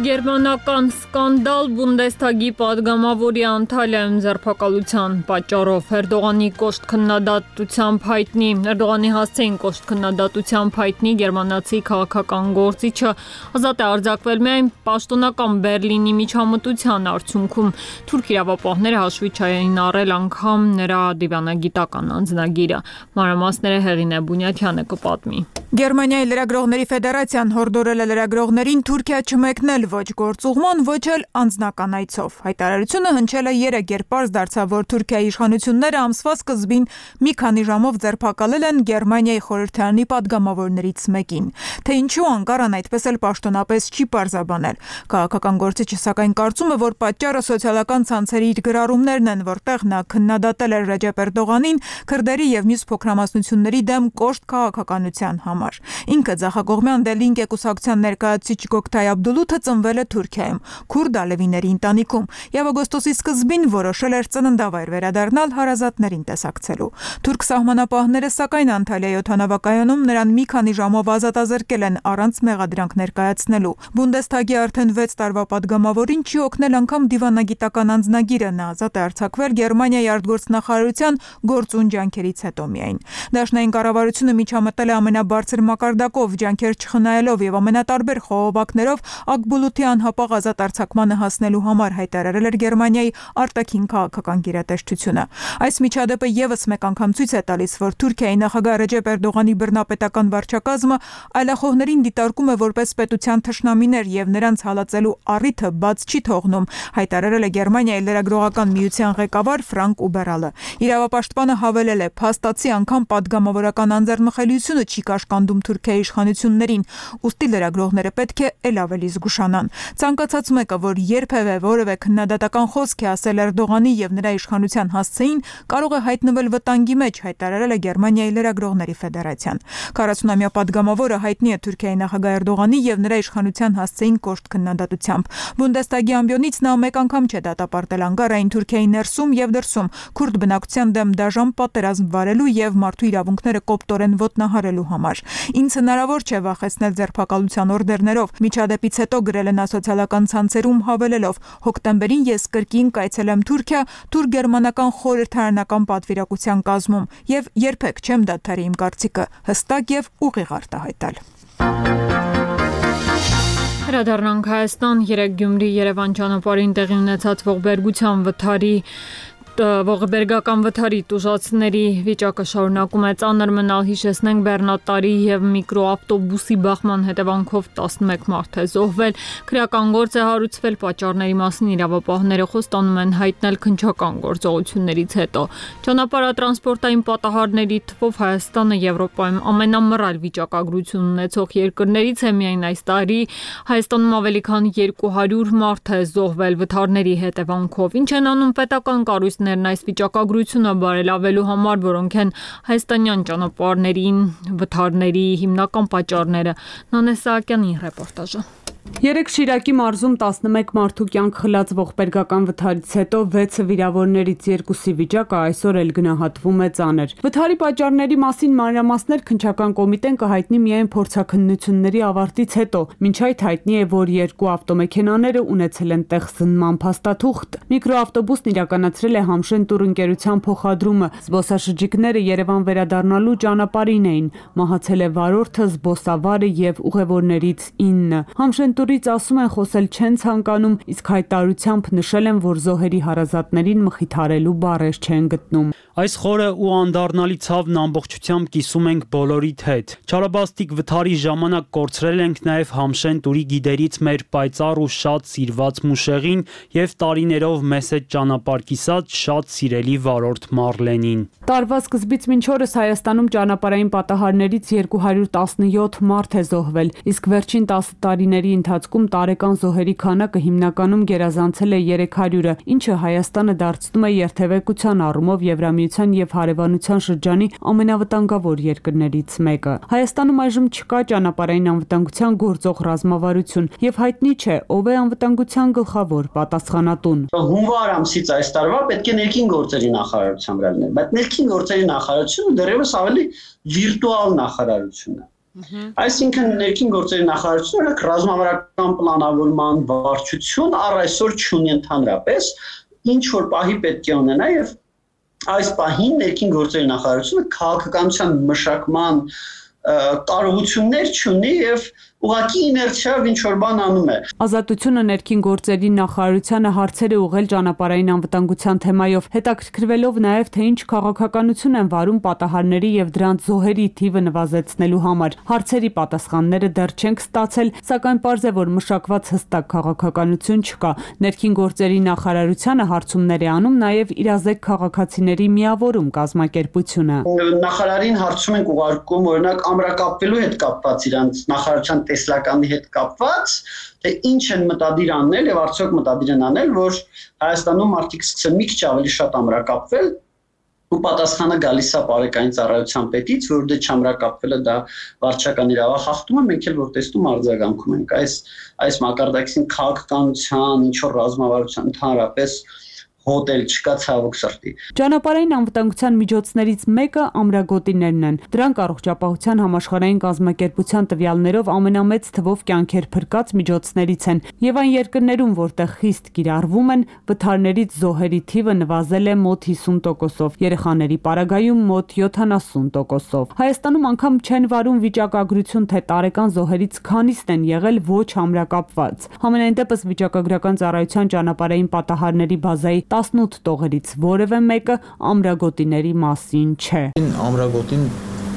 Գերմանական սկանդալ Բունդեսթագի падգամավորի Անտալիայում ձերբակալության պատճառով Էրդողանի կոշտ քննադատությամբ հայտնի Էրդողանի հասցեին կոշտ քննադատությամբ հայտնի գերմանացի քաղաքական գործիչը ազատ է արձակվել միայն պաշտոնական Բերլինի միջամտության արդյունքում։ Թուրք իրավապահները հաշվի չեն առել անգամ նրա դիվանագիտական անձնագիրը։ Մանրամասները Հեղինե Բունյաթյանը կպատմի։ Գերմանիայի լրագրողների ֆեդերացիան հորդորել է լրագրողներին Թուրքիա չմեկնել, ոչ գործուղման, ոչ էլ անձնական այցով։ Հայտարարությունը հնչել է երեկ, երբ պարզ դարձավ, որ Թուրքիայի իշխանությունները ամսվա սկզբին մի քանի ժամով ձերբակալել են Գերմանիայի խորհրդարանի падգամավորներից մեկին։ Թե ինչու Անկարան այդպես էլ պաշտոնապես չի պարզաբանել։ Քաղաքական գործիչը սակայն կարծում է, որ պատճառը սոցիալական ցանցերի իր գրառումներն են, որտեղ նա քննադատել էր Ռեջեփ Էրդողանին քրդերի եւ մյուս փոքրամասնությունների դեմ կոշտ քաղաքականության համար։ Ինքը ձախակողմյան Դելինկե կուսակցության ներկայացուցիչ Գոկթայ Աբդուլութը ծնվել է Թուրքիայում, քուրդ ալևիների ընտանիքում եւ օգոստոսի սկզբին որոշել էր ծննդավայր վերադառնալ հարազատներին տեսակցելու։ Թուրք սահմանապահները սակայն Անտալիայի օդանավակայանում նրան մի քանի ժամով ազատազրկել են առանց մեղադրանք ներկայացնելու։ Բունդեսթագի արդեն վեց տարվա падգամավորին չի օգնել անգամ դիվանագիտական անձնագիրը, նա ազատ է արձակվել Գերմանիայի արտգործնախարարության գործուն ջանքերից հետո միայն։ Դաշնային կառավարությունը միջամտել է ամենաբարձր մակարդակով, ջանքեր չխնայելով եւ ամենատարբեր խողովակներով Ակբուլութի անհապաղ ազատ արձակմանը հասնելու համար, հայտարարել էր Գերմանիայի արտաքին քաղաքական գերատեսչությունը։ Այս միջադեպը եւս մեկ անգամ ցույց է տալիս, որ Թուրքիայի նախագահ Ռեջեփ Էրդողանի բռնապետական վարչակազմը այլախոհներին դիտարկում է որպես պետության թշնամիներ եւ նրանց հալածելու առիթը բաց չի թողնում, հայտարարել է Գերմանիայի լրագրողական միության ղեկավար Ֆրանկ Ուբերալը։ Իրավապաշտպանը հավելել է, փաստացի անգամ падգամավորական անձեռնխելիությունը չի կաշկանդում Թուրքիայի իշխանություններին, ուստի լրագրողները պետք է ել ավելի զգուշանան։ Ցանկացած մեկը, որ երբևէ որևէ քննադատական խոսք է ասել Էրդողանի եւ նրա իշխանության հասցեին, կարող է հայտնվել վտանգի մեջ, հայտարարել է Գերմանիայի լրագրողների ֆեդերացիան։ քառասունամյա падգամավորը հայտնի է Թուրքիայի նախագահ Էրդողանի եւ նրա իշխանության հասցեին կոշտ քննադատությամբ։ Բունդեսթագի ամբիոնից նա մեկ անգամ չէ դատապարտել Անկարային Թուրքիայի ներսում եւ դրսում քուրդ բնակության դեմ դաժան պատերազմ վարելու եւ մարդու իրավունքները կոպտորեն ոտնահարելու համար։ Ինձ հնարավոր չէ վախեցնել ձերբակալության օրդերներով, միջադեպից հետո գրել է նա սոցիալական ցանցերում հավելելով. հոկտեմբերին ես կրկին կայցելեմ Թուրքիա, թուրք-գերմանական խորհրդարանական պատվիրակության կազմում եւ երբեք չեմ դադարի իմ կարծիքը հստակ եւ ուղիղ արտահայտել։ Հրադառնանք Հայաստան, երեկ Գյումրի Երևան ճանապարհին տեղի ունեցած ողբերգության վթարի ողբերգական վթարի տուժածների վիճակը շարունակում է ծանր մնալ, հիշեցնենք բեռնատարի եւ միկրոավտոբուսի բախման հետևանքով տասնմեկ մարդ է զոհվել, քրեական գործ է հարուցվել, պատճառների մասին իրավապահները խոստանում են հայտնել քննչական գործողություններից հետո։ Ճանապարհատրանսպորտային պատահարների թվով Հայաստանը Եվրոպայում ամենամռայլ վիճակագրություն ունեցող երկրներից է, միայն այս տարի Հայաստանում ավելի քան երկու հարյուր մարդ է զոհվել վթարների հետևանքով։ Ինչ են անում պետական կառույցները այս վիճակագրությունը բարելավելու համար, որոնք են հայաստանյան ճանապարհներին վթարների հիմնական պատճառները։ Նանե Սահակյանի ռեպորտաժը։ Երեկ Շիրակի մարզում տասնմեկ մարդու կյանք խլած ողբերգական վթարից հետո վեցը վիրավորներից երկուսի վիճակը այսօր էլ գնահատվում է ծանր։ Վթարի պատճառների մասին մանրամասներ քննչական կոմիտեն կհայտնի միայն փորձաքննությունների ավարտից հետո։ Մինչ այդ հայտնի է, որ երկու ավտոմեքենաները ունեցել են տեղսնման փաստաթուղթ։ Միկրոավտոբուսն իրականացրել է Համշեն տուրընկերության փոխադրումը։ Զբոսաշրջիկները Երևան վերադառնալու ճանապարհին էին։ Մահացել է վարորդը, զբոսավարը եւ ուղևորներից ինը։ Համշեն տուրից ասում են խոսել չեն ցանկանում, իսկ հայտարարությամբ նշել են, որ զոհերի հարազատներին մխիթարելու բառեր չեն գտնում։ Այս խորը ու անդառնալի ցավն ամբողջությամբ կիսում ենք բոլորիդ հետ։ Չարաբաստիկ վթարի ժամանակ կորցրել ենք նաև Համշեն տուրի գիդերից մեր պայծառ ու շատ սիրված Մուշեղին եւ տարիներով մեզ հետ ճանապարհ կիսած շատ սիրելի վարորդ Մարլենին։ Տարվա սկզբից մինչ օրս Հայաստանում ճանապարհային պատահարներից երկու հարյուր տասնյոթ մարդ է զոհվել, իսկ վերջին տասը տարիների ընթացքում տարեկան զոհերի քանակը հիմնականում գերազանցել է երեք հարյուրը, ինչը Հայաստանը դարձնում է երթևեկության առումով Եվրամիության եւ հարևանության շրջանի ամենավտանգավոր երկրներից մեկը։ Հայաստանում այժմ չկա ճանապարհային անվտանգության գործող ռազմավարություն եւ հայտնի չէ ով է անվտանգության գլխավոր պատասխանատուն։ Հունվար ամսից այս տարվա պետք է ներքին գործերի նախարարության վրա լիներ, բայց ներքին գործերի նախարարությունը դեռևս ավելի վիրտուալ նախարարություն է։ Այսինքն ներքին գործերի նախարարությունը ռազմավարական պլանավորման վարչություն առ այսօր չունի ընդհանրապես, ինչ որ պահի պետք է ունենա եւ այս պահին ներքին գործերի նախարարությունը քաղաքականության մշակման կարողություններ չունի եւ ուղղակի իներցիայով ինչ որ բան անում է։ Ազատությունը ներքին գործերի նախարարությանը հարցեր է ուղղել ճանապարհային անվտանգության թեմայով, հետաքրքրվելով նաև թե ինչ քաղաքականություն են վարում պատահարների եւ դրանց զոհերի թիվը նվազեցնելու համար։ Հարցերի պատասխանները դեռ չենք ստացել, սակայն պարզ է, որ մշակված հստակ քաղաքականություն չկա։ Ներքին գործերի նախարարությանը հարցումներ է անում նաև իրազեկ քաղաքացիների միավորում կազմակերպությունը։ Նախարարին հարցում ենք ուղարկում օրինակ ամրակապվելու հետ կապված իրանց նախարարության տեսլականի հետ կապված, թե ինչ են մտադիր անել եւ արդյոք մտադիր են անել, որ Հայաստանում մարդիկ սկսեն մի քիչ ավելի շատ ամրակապվել, ու պատասխանը գալիս է բարեկային ծառայության պետից, որ դե չամրակապվելը դա վարչական իրավախախտում է, մենք էլ որ տեսնում արձագանքում ենք այս այս մակարդակին քաղաքականության, ինչ որ ռազմավարության ընդհանրապես հոդել չկա ցավոք սրտի։ Ճանապարհային անվտանգության միջոցներից մեկը ամրագոտիներն են։ Դրանք առողջապահության համաշխարհային կազմակերպության տվյալներով ամենամեծ թվով կյանքեր փրկած միջոցներից են, եւ այն երկրներում, որտեղ խիստ կիրառվում են, վթարներից զոհերի թիվը նվազել է մոտ հիսուն տոկոսով, երեխաների պարագայում մոտ յոթանասուն տոկոսով։ Հայաստանում անգամ չեն վարում վիճակագրություն, թե տարեկան զոհերից քանիսն են եղել ոչ ամրակապված։ Համենայն դեպս վիճակագրական ծառայության ճանապարհային պատահարների բազայի տասնութ տողերից որևէ մեկը ամրագոտիների մասին չէ։ Ամրագոտին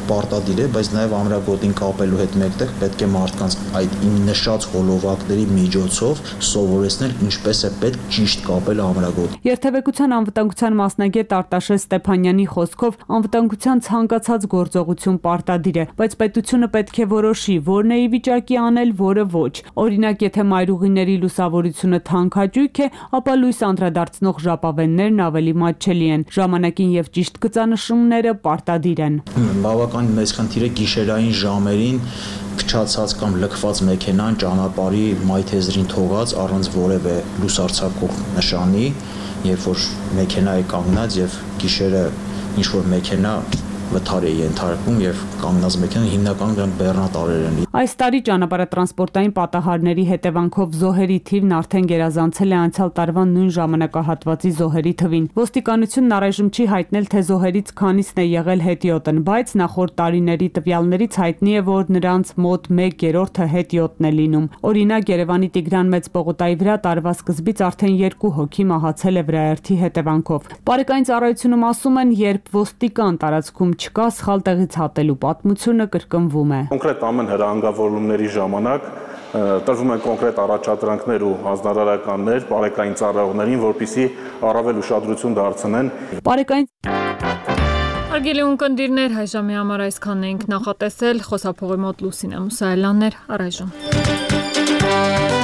պարտադիր է, բայց նաև ամրագոտին կապելու հետ մեկտեղ պետք է մարդկանց այդ նշած հոլովակների միջոցով սովորեցնել ինչպես է պետք ճիշտ կապել ամրագոտին։ Երթևեկության անվտանգության մասնագետ Արտաշես Ստեփանյանի խոսքով անվտանգության ցանկացած գործողություն պարտադիր է, բայց պետությունը պետք է որոշի որն է ի վիճակի անել, որը ոչ։ Օրինակ, եթե մայրուղիների լուսավորությունը թանքաճույք է, ապա լույս անդրադարձնող ժապավեններն ավելի մատչելի են։ Ժամանակին եւ ճիշտ գծանշումները պարտադիր են։ Բավական մեծ խնդիր է գիշերային ժամերին փչացած կամ լքված մեքենան ճանապարհի մայթեզրին թողած առանց որևէ լուսարձակող նշանի, երբ որ մեքենա է կանգնած եւ գիշերը ինչ որ մեքենա վթար է ենթարկվում եւ կանգնած մեքենան հիմնականում դրանք բեռնատարեր են։ Այս տարի ճանապարհատրանսպորտային պատահարների հետևանքով զոհերի թիվն արդեն գերազանցել է անցյալ տարվա նույն ժամանակահատվածի զոհերի թվին։ Ոստիկանությունն առայժմ չի հայտնել, թե զոհերից քանիսն է եղել հետիոտն, բայց նախորդ տարիների տվյալներից հայտնի է, որ նրանց մոտ մեկ երրորդը հետիոտն է լինում։ Օրինակ, Երևանի Տիգրան Մեծ պողոտայի վրա տարվա սկզբից արդեն երկու հոգի մահացել է վրաերթի հետևանքով։ Բարեկային ծառայությունում ասում են, երբ ոստիկան տարածքում չկա, սխալ տեղից հատելու պատմությունը կրկնվում է։ Կոնկրետ ամեն հրահանգավորումների ժամանակ տրվում են կոնկրետ առաջադրանքներ ու հանձնարարականներ բարեկային ծառայողներին, որպեսզի առավել ուշադրություն դարձնեն։ Բարեկային Հարգելի ունկնդիրներ, հայ ժամի համար այսքանն ենք նախատեսել, խոսափողի մոտ Լուսինե Մուսայելյանն էր, առայժմ։